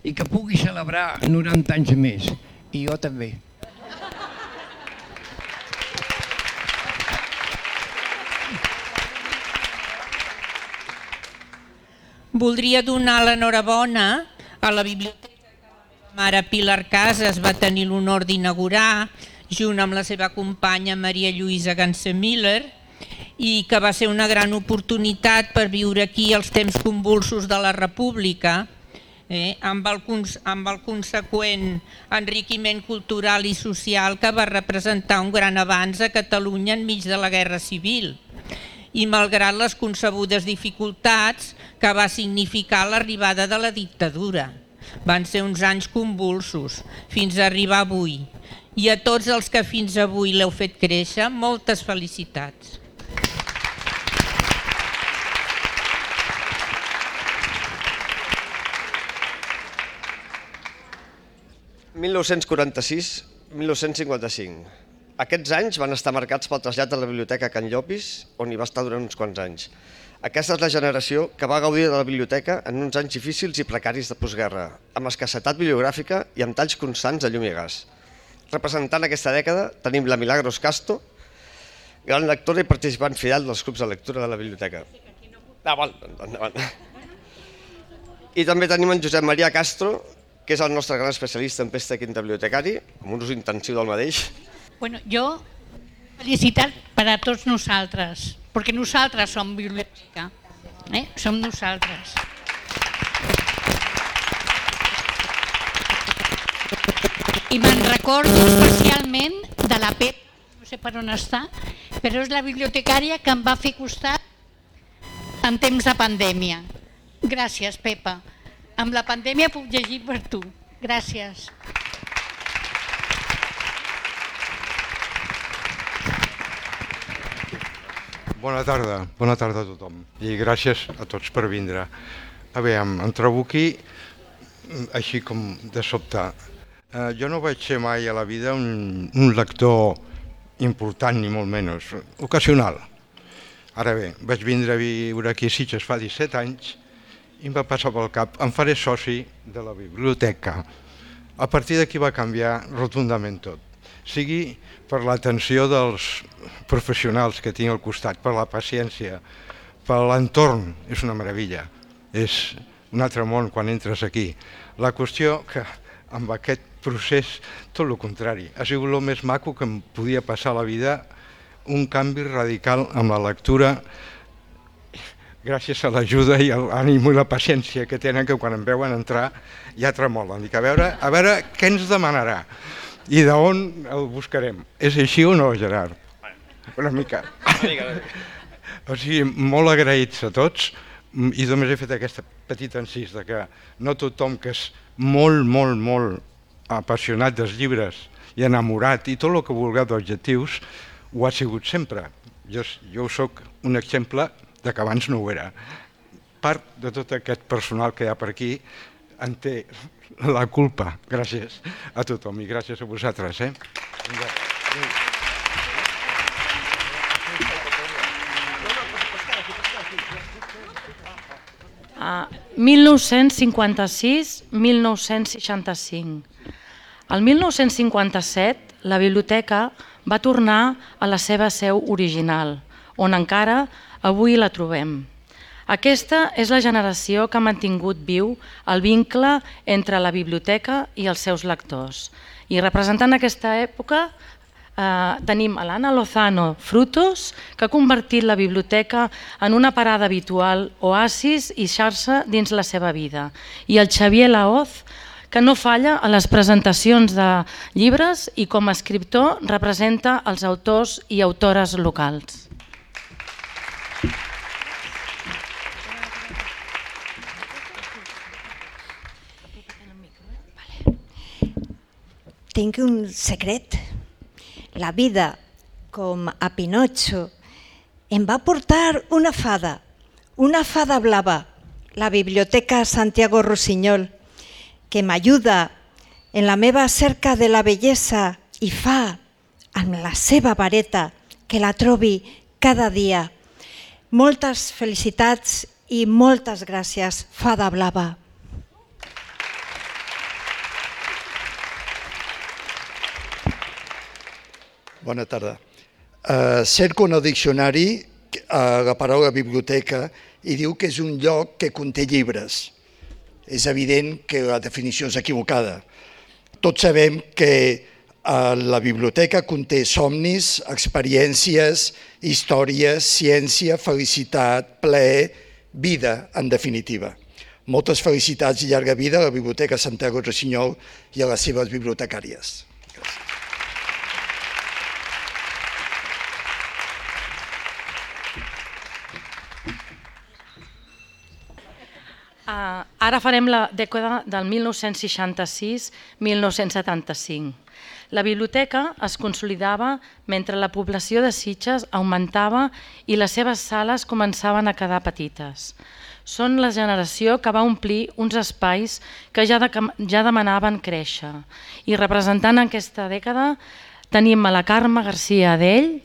i que pugui celebrar noranta anys més, i jo també. Voldria donar l'enhorabona a la biblioteca que la mare Pilar Casas va tenir l'honor d'inaugurar junt amb la seva companya Maria Lluïsa Ganser-Miller i que va ser una gran oportunitat per viure aquí els temps convulsos de la República, eh, amb, el, amb el conseqüent enriquiment cultural i social que va representar un gran avanç a Catalunya enmig de la Guerra Civil i malgrat les concebudes dificultats que va significar l'arribada de la dictadura. Van ser uns anys convulsos, fins a arribar avui. I a tots els que fins avui l'heu fet créixer, moltes felicitats. mil nou-cents quaranta-sis a mil nou-cents cinquanta-cinc. Aquests anys van estar marcats pel trasllat de la biblioteca a Can Llopis, on hi va estar durant uns quants anys. Aquesta és la generació que va gaudir de la biblioteca en uns anys difícils i precaris de postguerra, amb escassetat bibliogràfica i amb talls constants de llum i gas. Representant aquesta dècada tenim la Milagros Casto, gran lectora i participant fidel dels clubs de lectura de la biblioteca. Ah, val, endavant. I també tenim en Josep Maria Castro, que és el nostre gran especialista en pesta quinta bibliotecari, amb un ús intensiu del mateix. Bueno, jo, felicitat per a tots nosaltres, perquè nosaltres som biblioteca, eh? Som nosaltres. I me'n recordo especialment de la Pep, no sé per on està, però és la bibliotecària que em va fer costat en temps de pandèmia. Gràcies, Pepa. Amb la pandèmia puc llegir per tu. Gràcies. Bona tarda, bona tarda a tothom i gràcies a tots per vindre. A veure, em trobo aquí així com de sobte. Eh, jo no vaig ser mai a la vida un, un lector important ni molt menys, ocasional. Ara bé, vaig vindre a viure aquí a Sitges fa disset anys i em va passar pel cap, em faré soci de la biblioteca. A partir d'aquí va canviar rotundament tot. Sigui per l'atenció dels professionals que tinc al costat, per la paciència, per l'entorn, és una meravella. És un altre món quan entres aquí. La qüestió que amb aquest procés, tot el contrari, ha sigut el més maco que em podia passar a la vida, un canvi radical amb la lectura, gràcies a l'ajuda i l'ànim i la paciència que tenen, que quan em veuen entrar ja tremolen. Dic, a veure, a veure què ens demanarà i d'on el buscarem. És així o no, Gerard? Una mica. O sigui, molt agraïts a tots i només he fet aquesta petita encís de que no tothom que és molt, molt, molt apassionat dels llibres i enamorat i tot el que vulgueu d'objectius ho ha sigut sempre. Jo, jo soc un exemple de que abans no ho era. Part de tot aquest personal que hi ha per aquí en té la culpa. Gràcies a tothom i gràcies a vosaltres. Eh? Uh, mil nou-cents cinquanta-sis a mil nou-cents seixanta-cinc. El mil nou-cents cinquanta-set la biblioteca va tornar a la seva seu original, on encara avui la trobem. Aquesta és la generació que ha mantingut viu el vincle entre la biblioteca i els seus lectors. I representant aquesta època eh, tenim a l'Anna Lozano Frutos, que ha convertit la biblioteca en una parada habitual, oasis i xarxa dins la seva vida. I el Xavier Laoz, que no falla a les presentacions de llibres i com a escriptor representa els autors i autores locals. Tinc un secret. La vida, com a Pinotxo, em va portar una fada, una fada blava, la Biblioteca Santiago Rossinyol, que m'ajuda en la meva cerca de la bellesa i fa, amb la seva vareta, que la trobi cada dia. Moltes felicitats i moltes gràcies, fada blava. Bona tarda. Uh, cerco en el diccionari uh, la paraula biblioteca i diu que és un lloc que conté llibres. És evident que la definició és equivocada. Tots sabem que uh, la biblioteca conté somnis, experiències, històries, ciència, felicitat, plaer, vida, en definitiva. Moltes felicitats i llarga vida a la Biblioteca Santiago Rossinyol i a les seves bibliotecàries. Uh, Ara farem la dècada del mil nou-cents seixanta-sis a mil nou-cents setanta-cinc. La biblioteca es consolidava mentre la població de Sitges augmentava i les seves sales començaven a quedar petites. Són la generació que va omplir uns espais que ja, de, ja demanaven créixer. I representant aquesta dècada tenim a la Carme García Adell,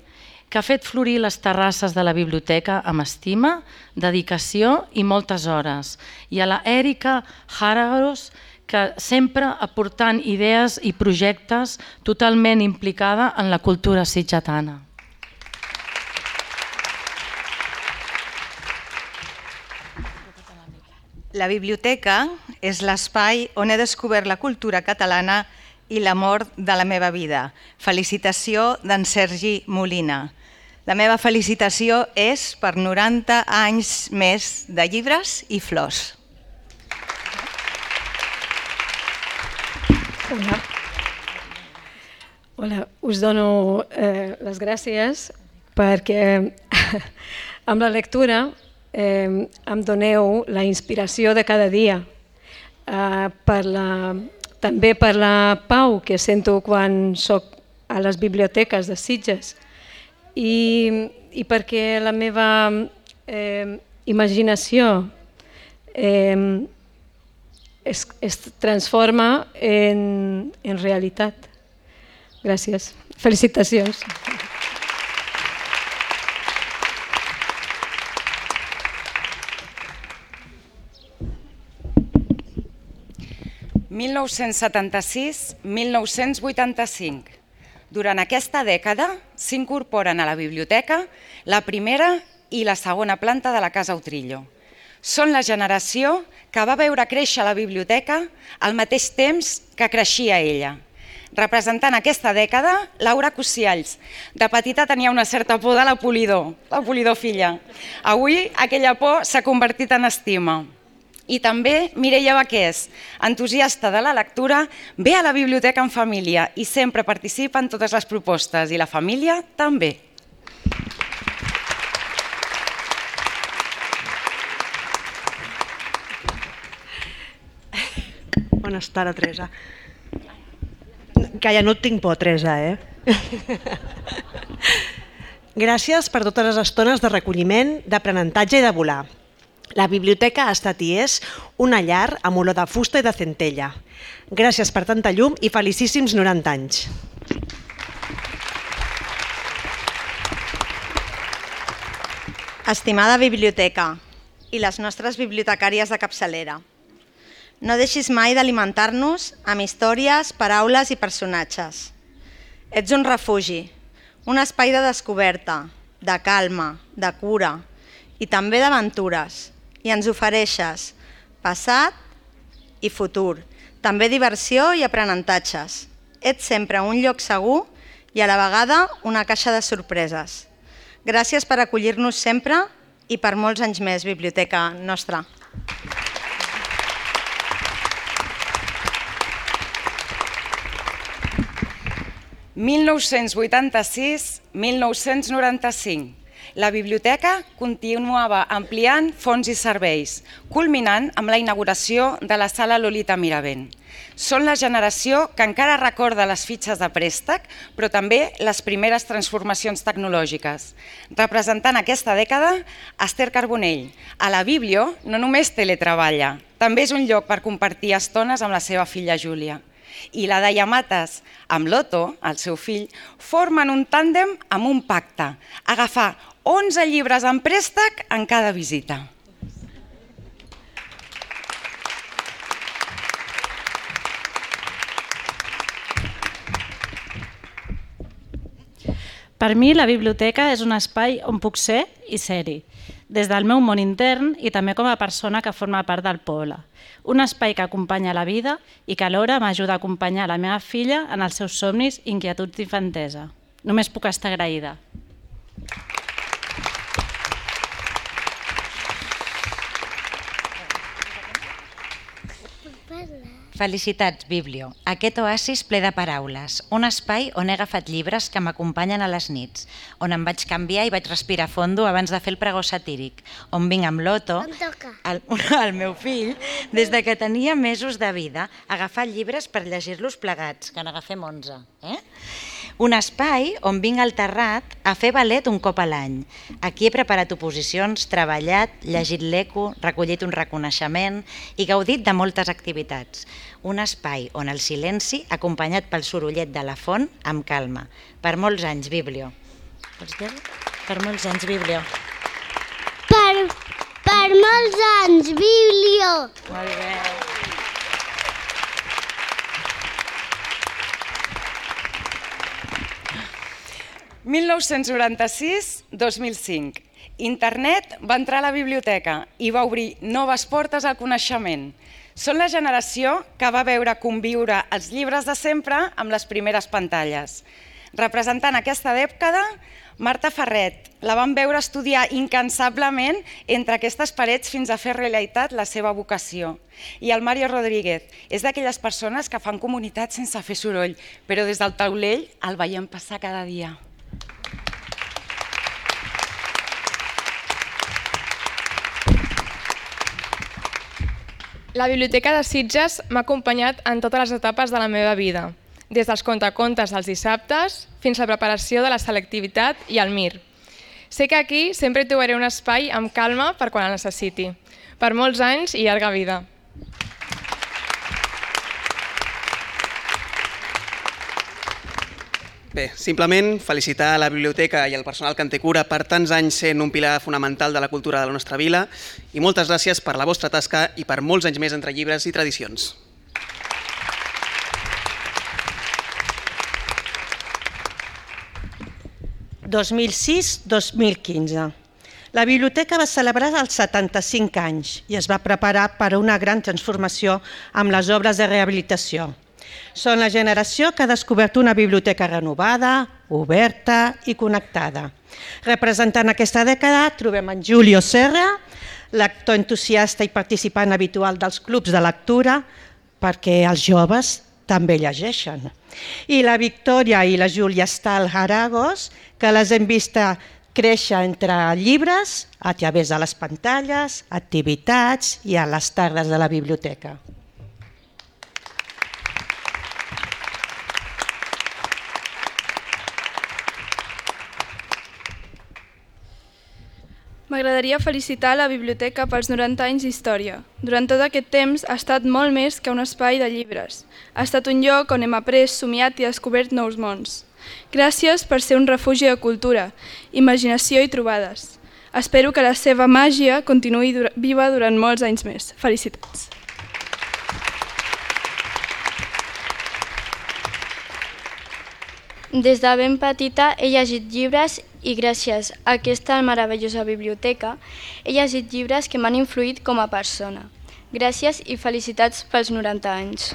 que ha fet florir les terrasses de la biblioteca amb estima, dedicació i moltes hores, i a la Èrica Jararos, que sempre aportant idees i projectes totalment implicada en la cultura sitgetana. La biblioteca és l'espai on he descobert la cultura catalana i l'amor de la meva vida. Felicitació d'en Sergi Molina. La meva felicitació és per noranta anys més de llibres i flors. Hola. Hola, us dono eh, les gràcies perquè amb la lectura eh, em doneu la inspiració de cada dia, eh, per la, també per la pau que sento quan soc a les biblioteques de Sitges i, i perquè la meva eh, imaginació eh, Es, es transforma en, en realitat. Gràcies. Felicitacions. mil nou-cents setanta-sis a mil nou-cents vuitanta-cinc. Durant aquesta dècada s'incorporen a la biblioteca la primera i la segona planta de la Casa Utrillo. Són la generació que va veure créixer la biblioteca al mateix temps que creixia ella. Representant aquesta dècada, Laura Cusialls. De petita tenia una certa por de la Polidor, la Polidor filla. Avui aquella por s'ha convertit en estima. I també Mireia Baqués, entusiasta de la lectura, ve a la biblioteca en família i sempre participa en totes les propostes i la família també. Bones tardes, Teresa. Que ja no et tinc por, Teresa, eh? Gràcies per totes les estones de recolliment, d'aprenentatge i de volar. La biblioteca ha estat i és una llar amb olor de fusta i de centella. Gràcies per tanta llum i felicíssims noranta anys. Estimada biblioteca i les nostres bibliotecàries de capçalera, no deixis mai d'alimentar-nos amb històries, paraules i personatges. Ets un refugi, un espai de descoberta, de calma, de cura i també d'aventures. I ens ofereixes passat i futur, també diversió i aprenentatges. Ets sempre un lloc segur i a la vegada una caixa de sorpreses. Gràcies per acollir-nos sempre i per molts anys més, biblioteca nostra. mil nou-cents vuitanta-sis a mil nou-cents noranta-cinc. La biblioteca continuava ampliant fons i serveis, culminant amb la inauguració de la sala Lolita Miravent. Són la generació que encara recorda les fitxes de préstec, però també les primeres transformacions tecnològiques. Representant aquesta dècada, Esther Carbonell. A la Biblio no només teletreballa, també és un lloc per compartir estones amb la seva filla Júlia. I la Daia Mates, amb l'Otto, el seu fill, formen un tàndem amb un pacte, agafar onze llibres en préstec en cada visita. Per mi, la biblioteca és un espai on puc ser i ser-hi, des del meu món intern i també com a persona que forma part del poble. Un espai que acompanya la vida i que alhora m'ajuda a acompanyar la meva filla en els seus somnis i inquietuds d'infantesa. Només puc estar agraïda. Felicitats, Biblio. Aquest oasis ple de paraules. Un espai on he agafat llibres que m'acompanyen a les nits, on em vaig canviar i vaig respirar fondo abans de fer el pregó satíric, on vinc amb l'Oto, el, el meu fill, des de que tenia mesos de vida, a agafar llibres per llegir-los plegats, que n'agafem onze. Eh? Un espai on vinc al Terrat a fer ballet un cop a l'any. Aquí he preparat oposicions, treballat, llegit l'eco, recollit un reconeixement i gaudit de moltes activitats. Un espai on el silenci, acompanyat pel sorollet de la font, amb calma. Per molts anys, Biblio. Vols dir-ho? Per molts anys, Biblio. Per, per molts anys, Biblio. Molt bé. mil nou-cents noranta-sis a dos mil cinc. Internet va entrar a la biblioteca i va obrir noves portes al coneixement. Són la generació que va veure conviure els llibres de sempre amb les primeres pantalles. Representant aquesta dècada, Marta Ferret. La van veure estudiar incansablement entre aquestes parets fins a fer realitat la seva vocació. I el Mario Rodríguez és d'aquelles persones que fan comunitat sense fer soroll, però des del taulell el veiem passar cada dia. La Biblioteca de Sitges m'ha acompanyat en totes les etapes de la meva vida, des dels contacontes dels dissabtes fins a la preparació de la selectivitat i el Mir. Sé que aquí sempre trobaré un espai amb calma per quan el necessiti. Per molts anys i llarga vida. Bé, simplement felicitar a la biblioteca i al personal que en té cura per tants anys sent un pilar fonamental de la cultura de la nostra vila i moltes gràcies per la vostra tasca i per molts anys més entre llibres i tradicions. dos mil sis a dos mil quinze. La biblioteca va celebrar els setanta-cinc anys i es va preparar per a una gran transformació amb les obres de rehabilitació. Són la generació que ha descobert una biblioteca renovada, oberta i connectada. Representant aquesta dècada trobem en Julio Serra, lector entusiasta i participant habitual dels clubs de lectura, perquè els joves també llegeixen. I la Victòria i la Júlia Stahl Aragos, que les hem vist créixer entre llibres, a través de les pantalles, activitats i a les tardes de la biblioteca. M'agradaria felicitar la biblioteca pels noranta anys d'història. Durant tot aquest temps ha estat molt més que un espai de llibres. Ha estat un lloc on hem après, somiat i descobert nous mons. Gràcies per ser un refugi de cultura, imaginació i trobades. Espero que la seva màgia continuï viva durant molts anys més. Felicitats. Des de ben petita he llegit llibres i gràcies a aquesta meravellosa biblioteca he llegit llibres que m'han influït com a persona. Gràcies i felicitats pels noranta anys.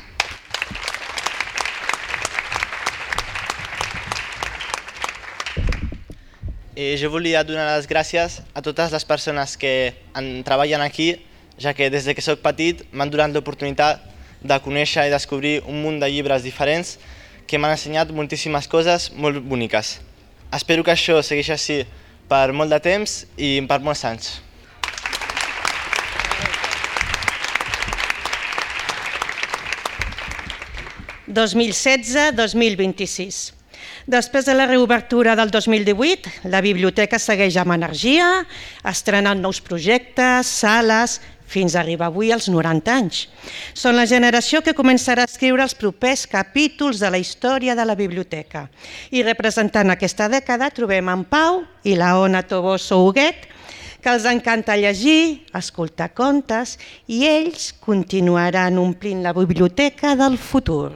Eh, jo volia donar les gràcies a totes les persones que en treballen aquí, ja que des que soc petit m'han donat l'oportunitat de conèixer i descobrir un munt de llibres diferents que m'han ensenyat moltíssimes coses molt boniques. Espero que això segueixi així per molt de temps i per molts anys. dos mil setze a dos mil vint-i-sis. Després de la reobertura del dos mil divuit, la biblioteca segueix amb energia, estrenant nous projectes, sales, fins a arribar avui als noranta anys. Són la generació que començarà a escriure els propers capítols de la història de la biblioteca. I representant aquesta dècada trobem en Pau i la Ona Toboso Huguet, que els encanta llegir, escoltar contes, i ells continuaran omplint la biblioteca del futur.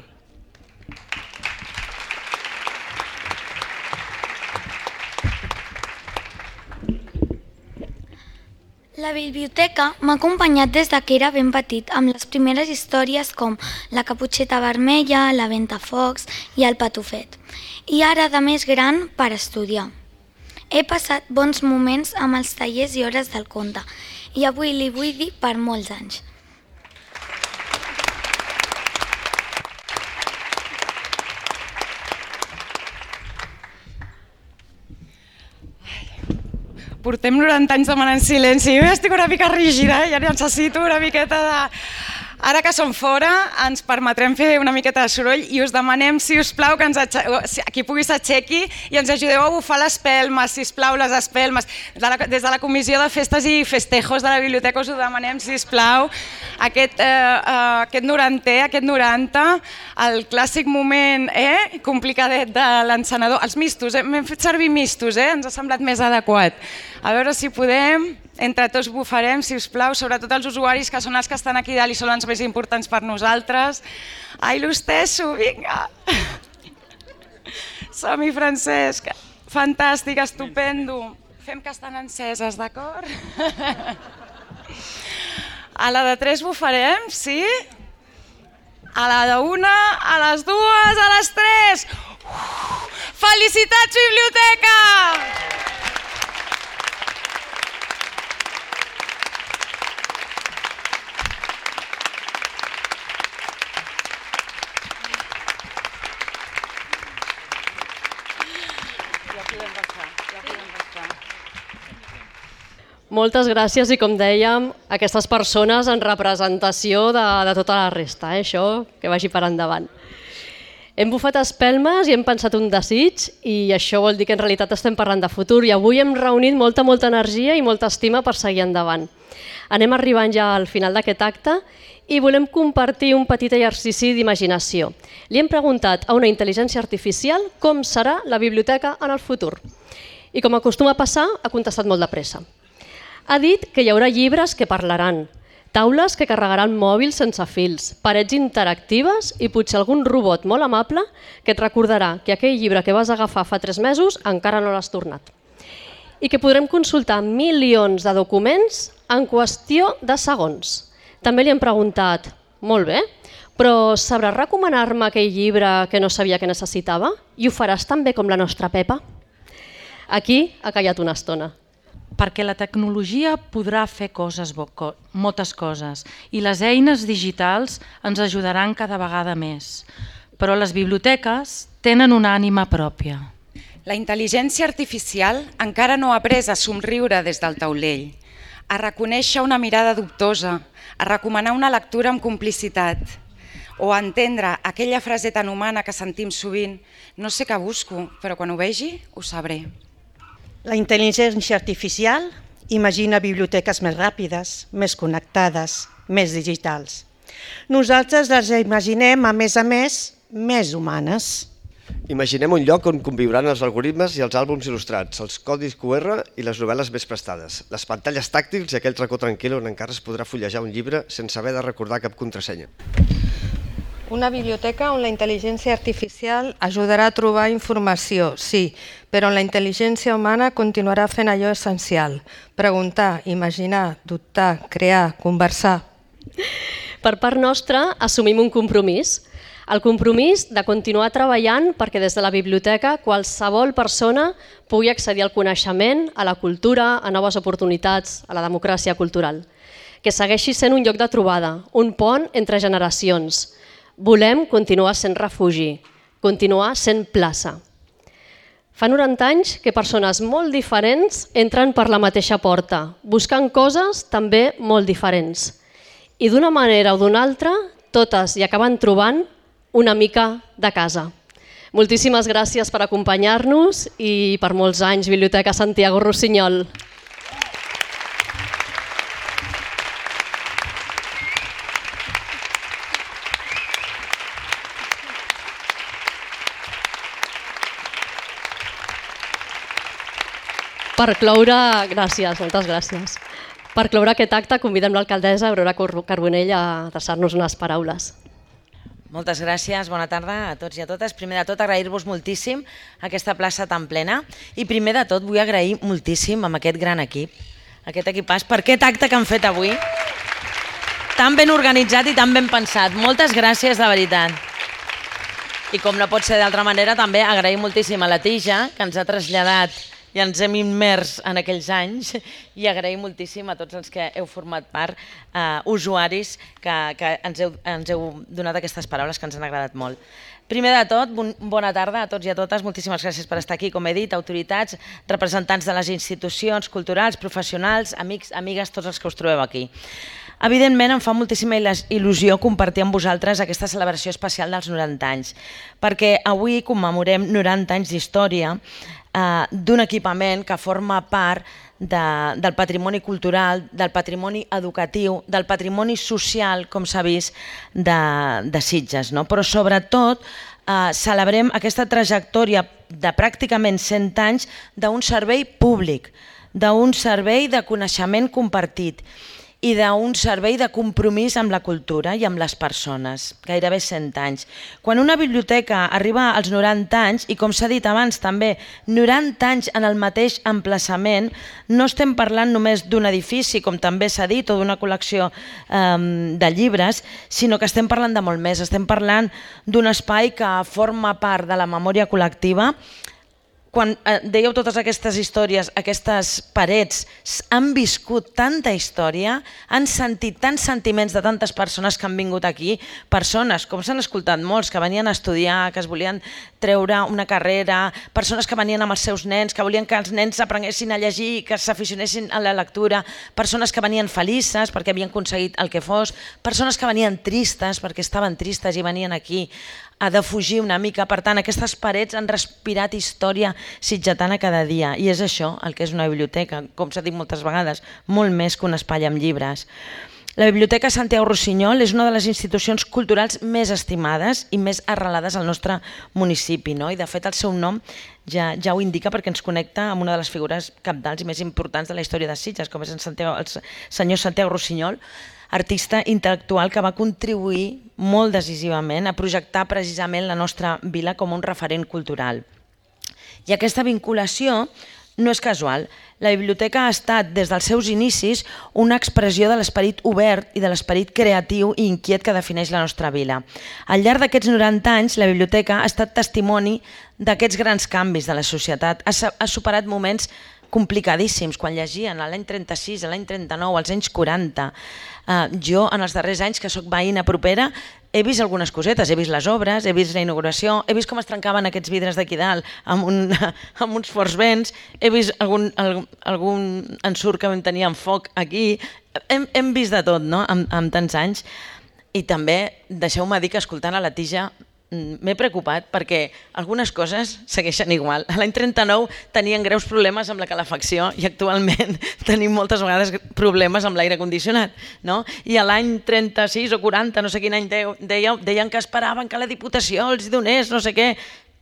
La biblioteca m'ha acompanyat des que era ben petit, amb les primeres històries com La caputxeta vermella, La Ventafocs i El patufet. I ara, de més gran, per estudiar. He passat bons moments amb els tallers i hores del conte, i avui li vull dir per molts anys. portem noranta anys demanant silenci. Jo ja estic una mica rígida, ja necessito una miqueta de... Ara que som fora, ens permetrem fer una miqueta de soroll i us demanem, si us plau, que ens qui pugui s'aixequi i ens ajudeu a bufar les espelmes, si us plau, les espelmes. Des de la Comissió de Festes i Festejos de la Biblioteca us ho demanem, si us plau, aquest, eh, aquest norantè, aquest noranta, el clàssic moment eh, complicadet de l'encenedor. Els mistos, eh? M'hem fet servir mistos, eh? Ens ha semblat més adequat. A veure si podem... Entre tots bufarem, si us plau, sobretot els usuaris que són els que estan aquí dalt i són els més importants per nosaltres. Ai, l'hostesso, vinga! Som-hi, Francesc! Fantàstic, estupendo! Fem que estan enceses, d'acord? A la de tres bufarem, sí? A la de una, a les dues, a les tres! Felicitats, biblioteca! Moltes gràcies i, com dèiem, aquestes persones en representació de, de tota la resta, eh? Això que vagi per endavant. Hem bufat espelmes i hem pensat un desig i això vol dir que en realitat estem parlant de futur i avui hem reunit molta, molta energia i molta estima per seguir endavant. Anem arribant ja al final d'aquest acte i volem compartir un petit exercici d'imaginació. Li hem preguntat a una intel·ligència artificial com serà la biblioteca en el futur. I com acostuma a passar, ha contestat molt de pressa. Ha dit que hi haurà llibres que parlaran, taules que carregaran mòbils sense fils, parets interactives i potser algun robot molt amable que et recordarà que aquell llibre que vas agafar fa tres mesos encara no l'has tornat. I que podrem consultar milions de documents en qüestió de segons. També li hem preguntat, molt bé, però sabràs recomanar-me aquell llibre que no sabia que necessitava? I ho faràs tan bé com la nostra Pepa? Aquí ha callat una estona. Perquè la tecnologia podrà fer coses, moltes coses, i les eines digitals ens ajudaran cada vegada més. Però les biblioteques tenen una ànima pròpia. La intel·ligència artificial encara no ha après a somriure des del taulell, a reconèixer una mirada dubtosa, a recomanar una lectura amb complicitat, o a entendre aquella frase tan humana que sentim sovint, no sé què busco, però quan ho vegi ho sabré. La intel·ligència artificial imagina biblioteques més ràpides, més connectades, més digitals. Nosaltres les imaginem, a més a més, més humanes. Imaginem un lloc on conviuran els algoritmes i els àlbums il·lustrats, els codis cu erre i les novel·les més prestades, les pantalles tàctils i aquell racó tranquil on encara es podrà fullejar un llibre sense haver de recordar cap contrasenya. Una biblioteca on la intel·ligència artificial ajudarà a trobar informació, sí, però on la intel·ligència humana continuarà fent allò essencial: preguntar, imaginar, dubtar, crear, conversar. Per part nostra, assumim un compromís. El compromís de continuar treballant perquè des de la biblioteca qualsevol persona pugui accedir al coneixement, a la cultura, a noves oportunitats, a la democràcia cultural. Que segueixi sent un lloc de trobada, un pont entre generacions. Volem continuar sent refugi, continuar sent plaça. Fa noranta anys que persones molt diferents entren per la mateixa porta, buscant coses també molt diferents. I d'una manera o d'una altra, totes hi acaben trobant una mica de casa. Moltíssimes gràcies per acompanyar-nos i per molts anys, Biblioteca Santiago Rossinyol. Per cloure, gràcies, moltes gràcies. Per cloure aquest acte convidem l'alcaldessa Aurora Carbonell a adreçar-nos unes paraules. Moltes gràcies, bona tarda a tots i a totes. Primer de tot, agrair-vos moltíssim aquesta plaça tan plena i primer de tot vull agrair moltíssim amb aquest gran equip, aquest equipàs, per aquest acte que han fet avui, tan ben organitzat i tan ben pensat. Moltes gràcies, de veritat. I com no pot ser d'altra manera, també agrair moltíssim a la Tija, que ens ha traslladat i ens hem immers en aquells anys, i agraïm moltíssim a tots els que heu format part, eh, usuaris que, que ens, heu, ens heu donat aquestes paraules que ens han agradat molt. Primer de tot, bon, bona tarda a tots i a totes, moltíssimes gràcies per estar aquí, com he dit, autoritats, representants de les institucions culturals, professionals, amics, amigues, tots els que us trobeu aquí. Evidentment, em fa moltíssima il·lusió compartir amb vosaltres aquesta celebració especial dels noranta anys, perquè avui commemorem noranta anys d'història eh, d'un equipament que forma part de, del patrimoni cultural, del patrimoni educatiu, del patrimoni social, com s'ha vist, de, de Sitges. No? Però sobretot eh, celebrem aquesta trajectòria de pràcticament cent anys d'un servei públic, d'un servei de coneixement compartit, i d'un servei de compromís amb la cultura i amb les persones, gairebé cent anys. Quan una biblioteca arriba als noranta anys, i com s'ha dit abans també, noranta anys en el mateix emplaçament, no estem parlant només d'un edifici, com també s'ha dit, o d'una col·lecció eh, de llibres, sinó que estem parlant de molt més, estem parlant d'un espai que forma part de la memòria col·lectiva. Quan dèieu totes aquestes històries, aquestes parets han viscut tanta història, han sentit tants sentiments de tantes persones que han vingut aquí, persones, com s'han escoltat molts, que venien a estudiar, que es volien treure una carrera, persones que venien amb els seus nens, que volien que els nens aprenguessin a llegir, que s'aficionessin a la lectura, persones que venien felices perquè havien aconseguit el que fos, persones que venien tristes perquè estaven tristes i venien aquí a defugir una mica. Per tant, aquestes parets han respirat història sitgetana cada dia, i és això el que és una biblioteca, com s'ha dit moltes vegades, molt més que un espai amb llibres. La Biblioteca Santiago Rusiñol és una de les institucions culturals més estimades i més arrelades al nostre municipi, no? I de fet el seu nom ja, ja ho indica, perquè ens connecta amb una de les figures cabdals i més importants de la història de Sitges, com és el, Santiago, el senyor Santiago Rusiñol, artista intel·lectual que va contribuir molt decisivament a projectar precisament la nostra vila com un referent cultural. I aquesta vinculació no és casual. La biblioteca ha estat, des dels seus inicis, una expressió de l'esperit obert i de l'esperit creatiu i inquiet que defineix la nostra vila. Al llarg d'aquests noranta anys, la biblioteca ha estat testimoni d'aquests grans canvis de la societat, ha superat moments complicadíssims, quan llegien l'any trenta-sis, l'any trenta-nou, als anys quaranta. Uh, jo, en els darrers anys, que sóc veïna propera, he vist algunes cosetes, he vist les obres, he vist la inauguració, he vist com es trencaven aquests vidres d'aquí dalt amb, un, amb uns forts vents, he vist algun, algun, algun ensurt que vam tenir amb foc aquí, hem, hem vist de tot, no?, amb, amb tants anys. I també, deixeu-me dir que escoltant a la Tija m'he preocupat perquè algunes coses segueixen igual. L'any trenta-nou tenien greus problemes amb la calefacció i actualment tenim moltes vegades problemes amb l'aire condicionat, no? I a l'any trenta-sis o quaranta, no sé quin any deien, deien que esperaven que la Diputació els donés no sé què.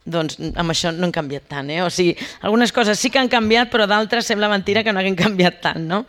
Doncs amb això no han canviat tant, eh? O sigui, algunes coses sí que han canviat, però d'altres sembla mentira que no hagin canviat tant, no?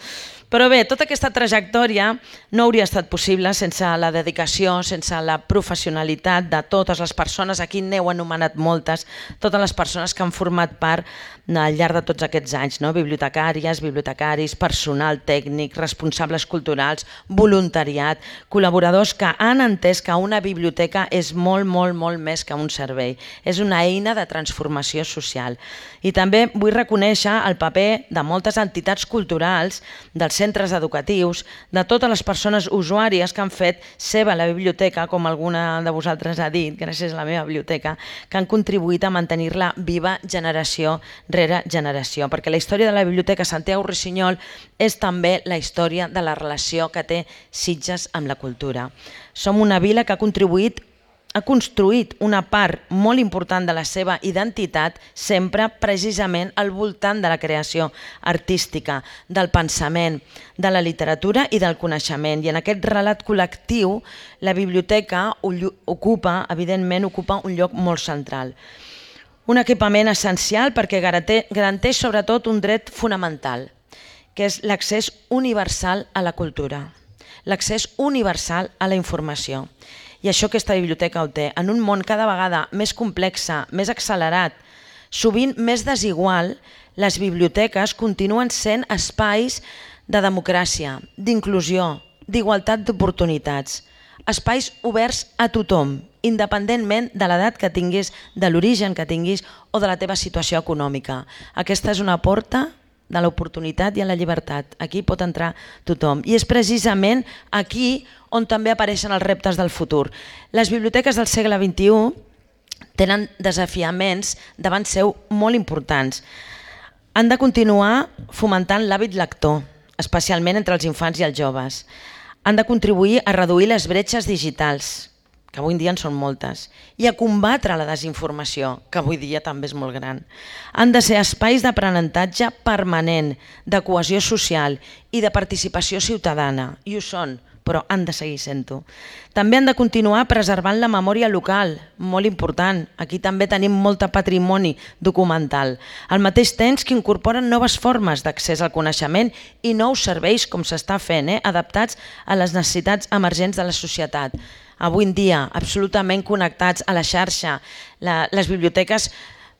Però bé, tota aquesta trajectòria no hauria estat possible sense la dedicació, sense la professionalitat de totes les persones, aquí n'heu anomenat moltes, totes les persones que han format part al llarg de tots aquests anys, no? Bibliotecàries, bibliotecaris, personal tècnic, responsables culturals, voluntariat, col·laboradors que han entès que una biblioteca és molt, molt, molt més que un servei. És una eina de transformació social. I també vull reconèixer el paper de moltes entitats culturals, dels centres educatius, de totes les persones usuàries que han fet seva la biblioteca, com alguna de vosaltres ha dit, gràcies a la meva biblioteca, que han contribuït a mantenir-la viva generació rere generació, perquè la història de la Biblioteca Santiago Rusiñol és també la història de la relació que té Sitges amb la cultura. Som una vila que ha contribuït ha construït una part molt important de la seva identitat sempre precisament al voltant de la creació artística, del pensament, de la literatura i del coneixement. I en aquest relat col·lectiu la biblioteca ocupa, evidentment, ocupa un lloc molt central. Un equipament essencial perquè garanteix sobretot un dret fonamental, que és l'accés universal a la cultura, l'accés universal a la informació. I això aquesta biblioteca ho té. En un món cada vegada més complex, més accelerat, sovint més desigual, les biblioteques continuen sent espais de democràcia, d'inclusió, d'igualtat d'oportunitats, espais oberts a tothom independentment de l'edat que tinguis, de l'origen que tinguis o de la teva situació econòmica. Aquesta és una porta de l'oportunitat i a la llibertat. Aquí pot entrar tothom. I és precisament aquí on també apareixen els reptes del futur. Les biblioteques del segle vint-i-u tenen desafiaments davant seu molt importants. Han de continuar fomentant l'hàbit lector, especialment entre els infants i els joves. Han de contribuir a reduir les bretxes digitals, que avui en dia en són moltes, i a combatre la desinformació, que avui dia també és molt gran. Han de ser espais d'aprenentatge permanent, de cohesió social i de participació ciutadana, i ho són, però han de seguir sent-ho. També han de continuar preservant la memòria local, molt important. Aquí també tenim molt patrimoni documental. Al mateix temps que incorporen noves formes d'accés al coneixement i nous serveis, com s'està fent, eh? adaptats a les necessitats emergents de la societat. Avui en dia, absolutament connectats a la xarxa. La, les biblioteques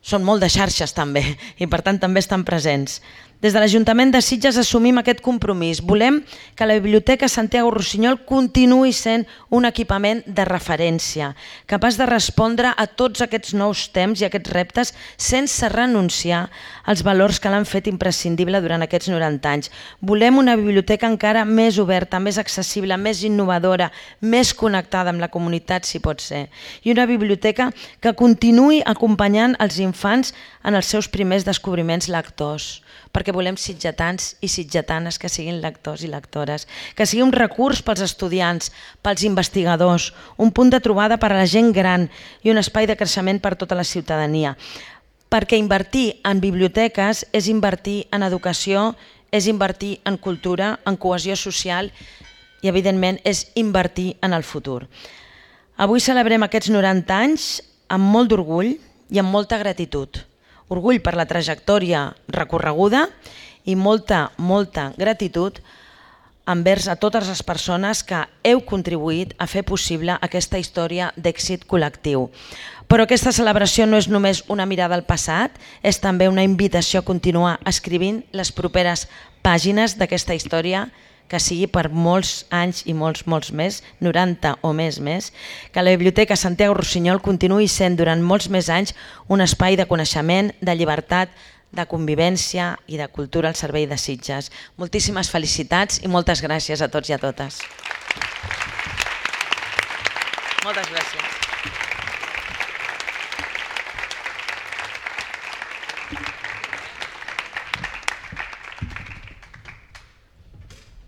són molt de xarxes també i per tant també estan presents. Des de l'Ajuntament de Sitges assumim aquest compromís. Volem que la Biblioteca Santiago Rossinyol continuï sent un equipament de referència, capaç de respondre a tots aquests nous temps i aquests reptes sense renunciar als valors que l'han fet imprescindible durant aquests noranta anys. Volem una biblioteca encara més oberta, més accessible, més innovadora, més connectada amb la comunitat, si pot ser. I una biblioteca que continuï acompanyant els infants en els seus primers descobriments lectors, perquè volem sitgetans i sitgetanes que siguin lectors i lectores, que sigui un recurs pels estudiants, pels investigadors, un punt de trobada per a la gent gran i un espai de creixement per tota la ciutadania. Perquè invertir en biblioteques és invertir en educació, és invertir en cultura, en cohesió social i, evidentment, és invertir en el futur. Avui celebrem aquests noranta anys amb molt d'orgull i amb molta gratitud. Orgull per la trajectòria recorreguda i molta, molta gratitud envers a totes les persones que heu contribuït a fer possible aquesta història d'èxit col·lectiu. Però aquesta celebració no és només una mirada al passat, és també una invitació a continuar escrivint les properes pàgines d'aquesta història que sigui per molts anys i molts, molts més, noranta o més més, que la Biblioteca Santiago Rossinyol continuï sent durant molts més anys un espai de coneixement, de llibertat, de convivència i de cultura al servei de Sitges. Moltíssimes felicitats i moltes gràcies a tots i a totes. Moltes gràcies.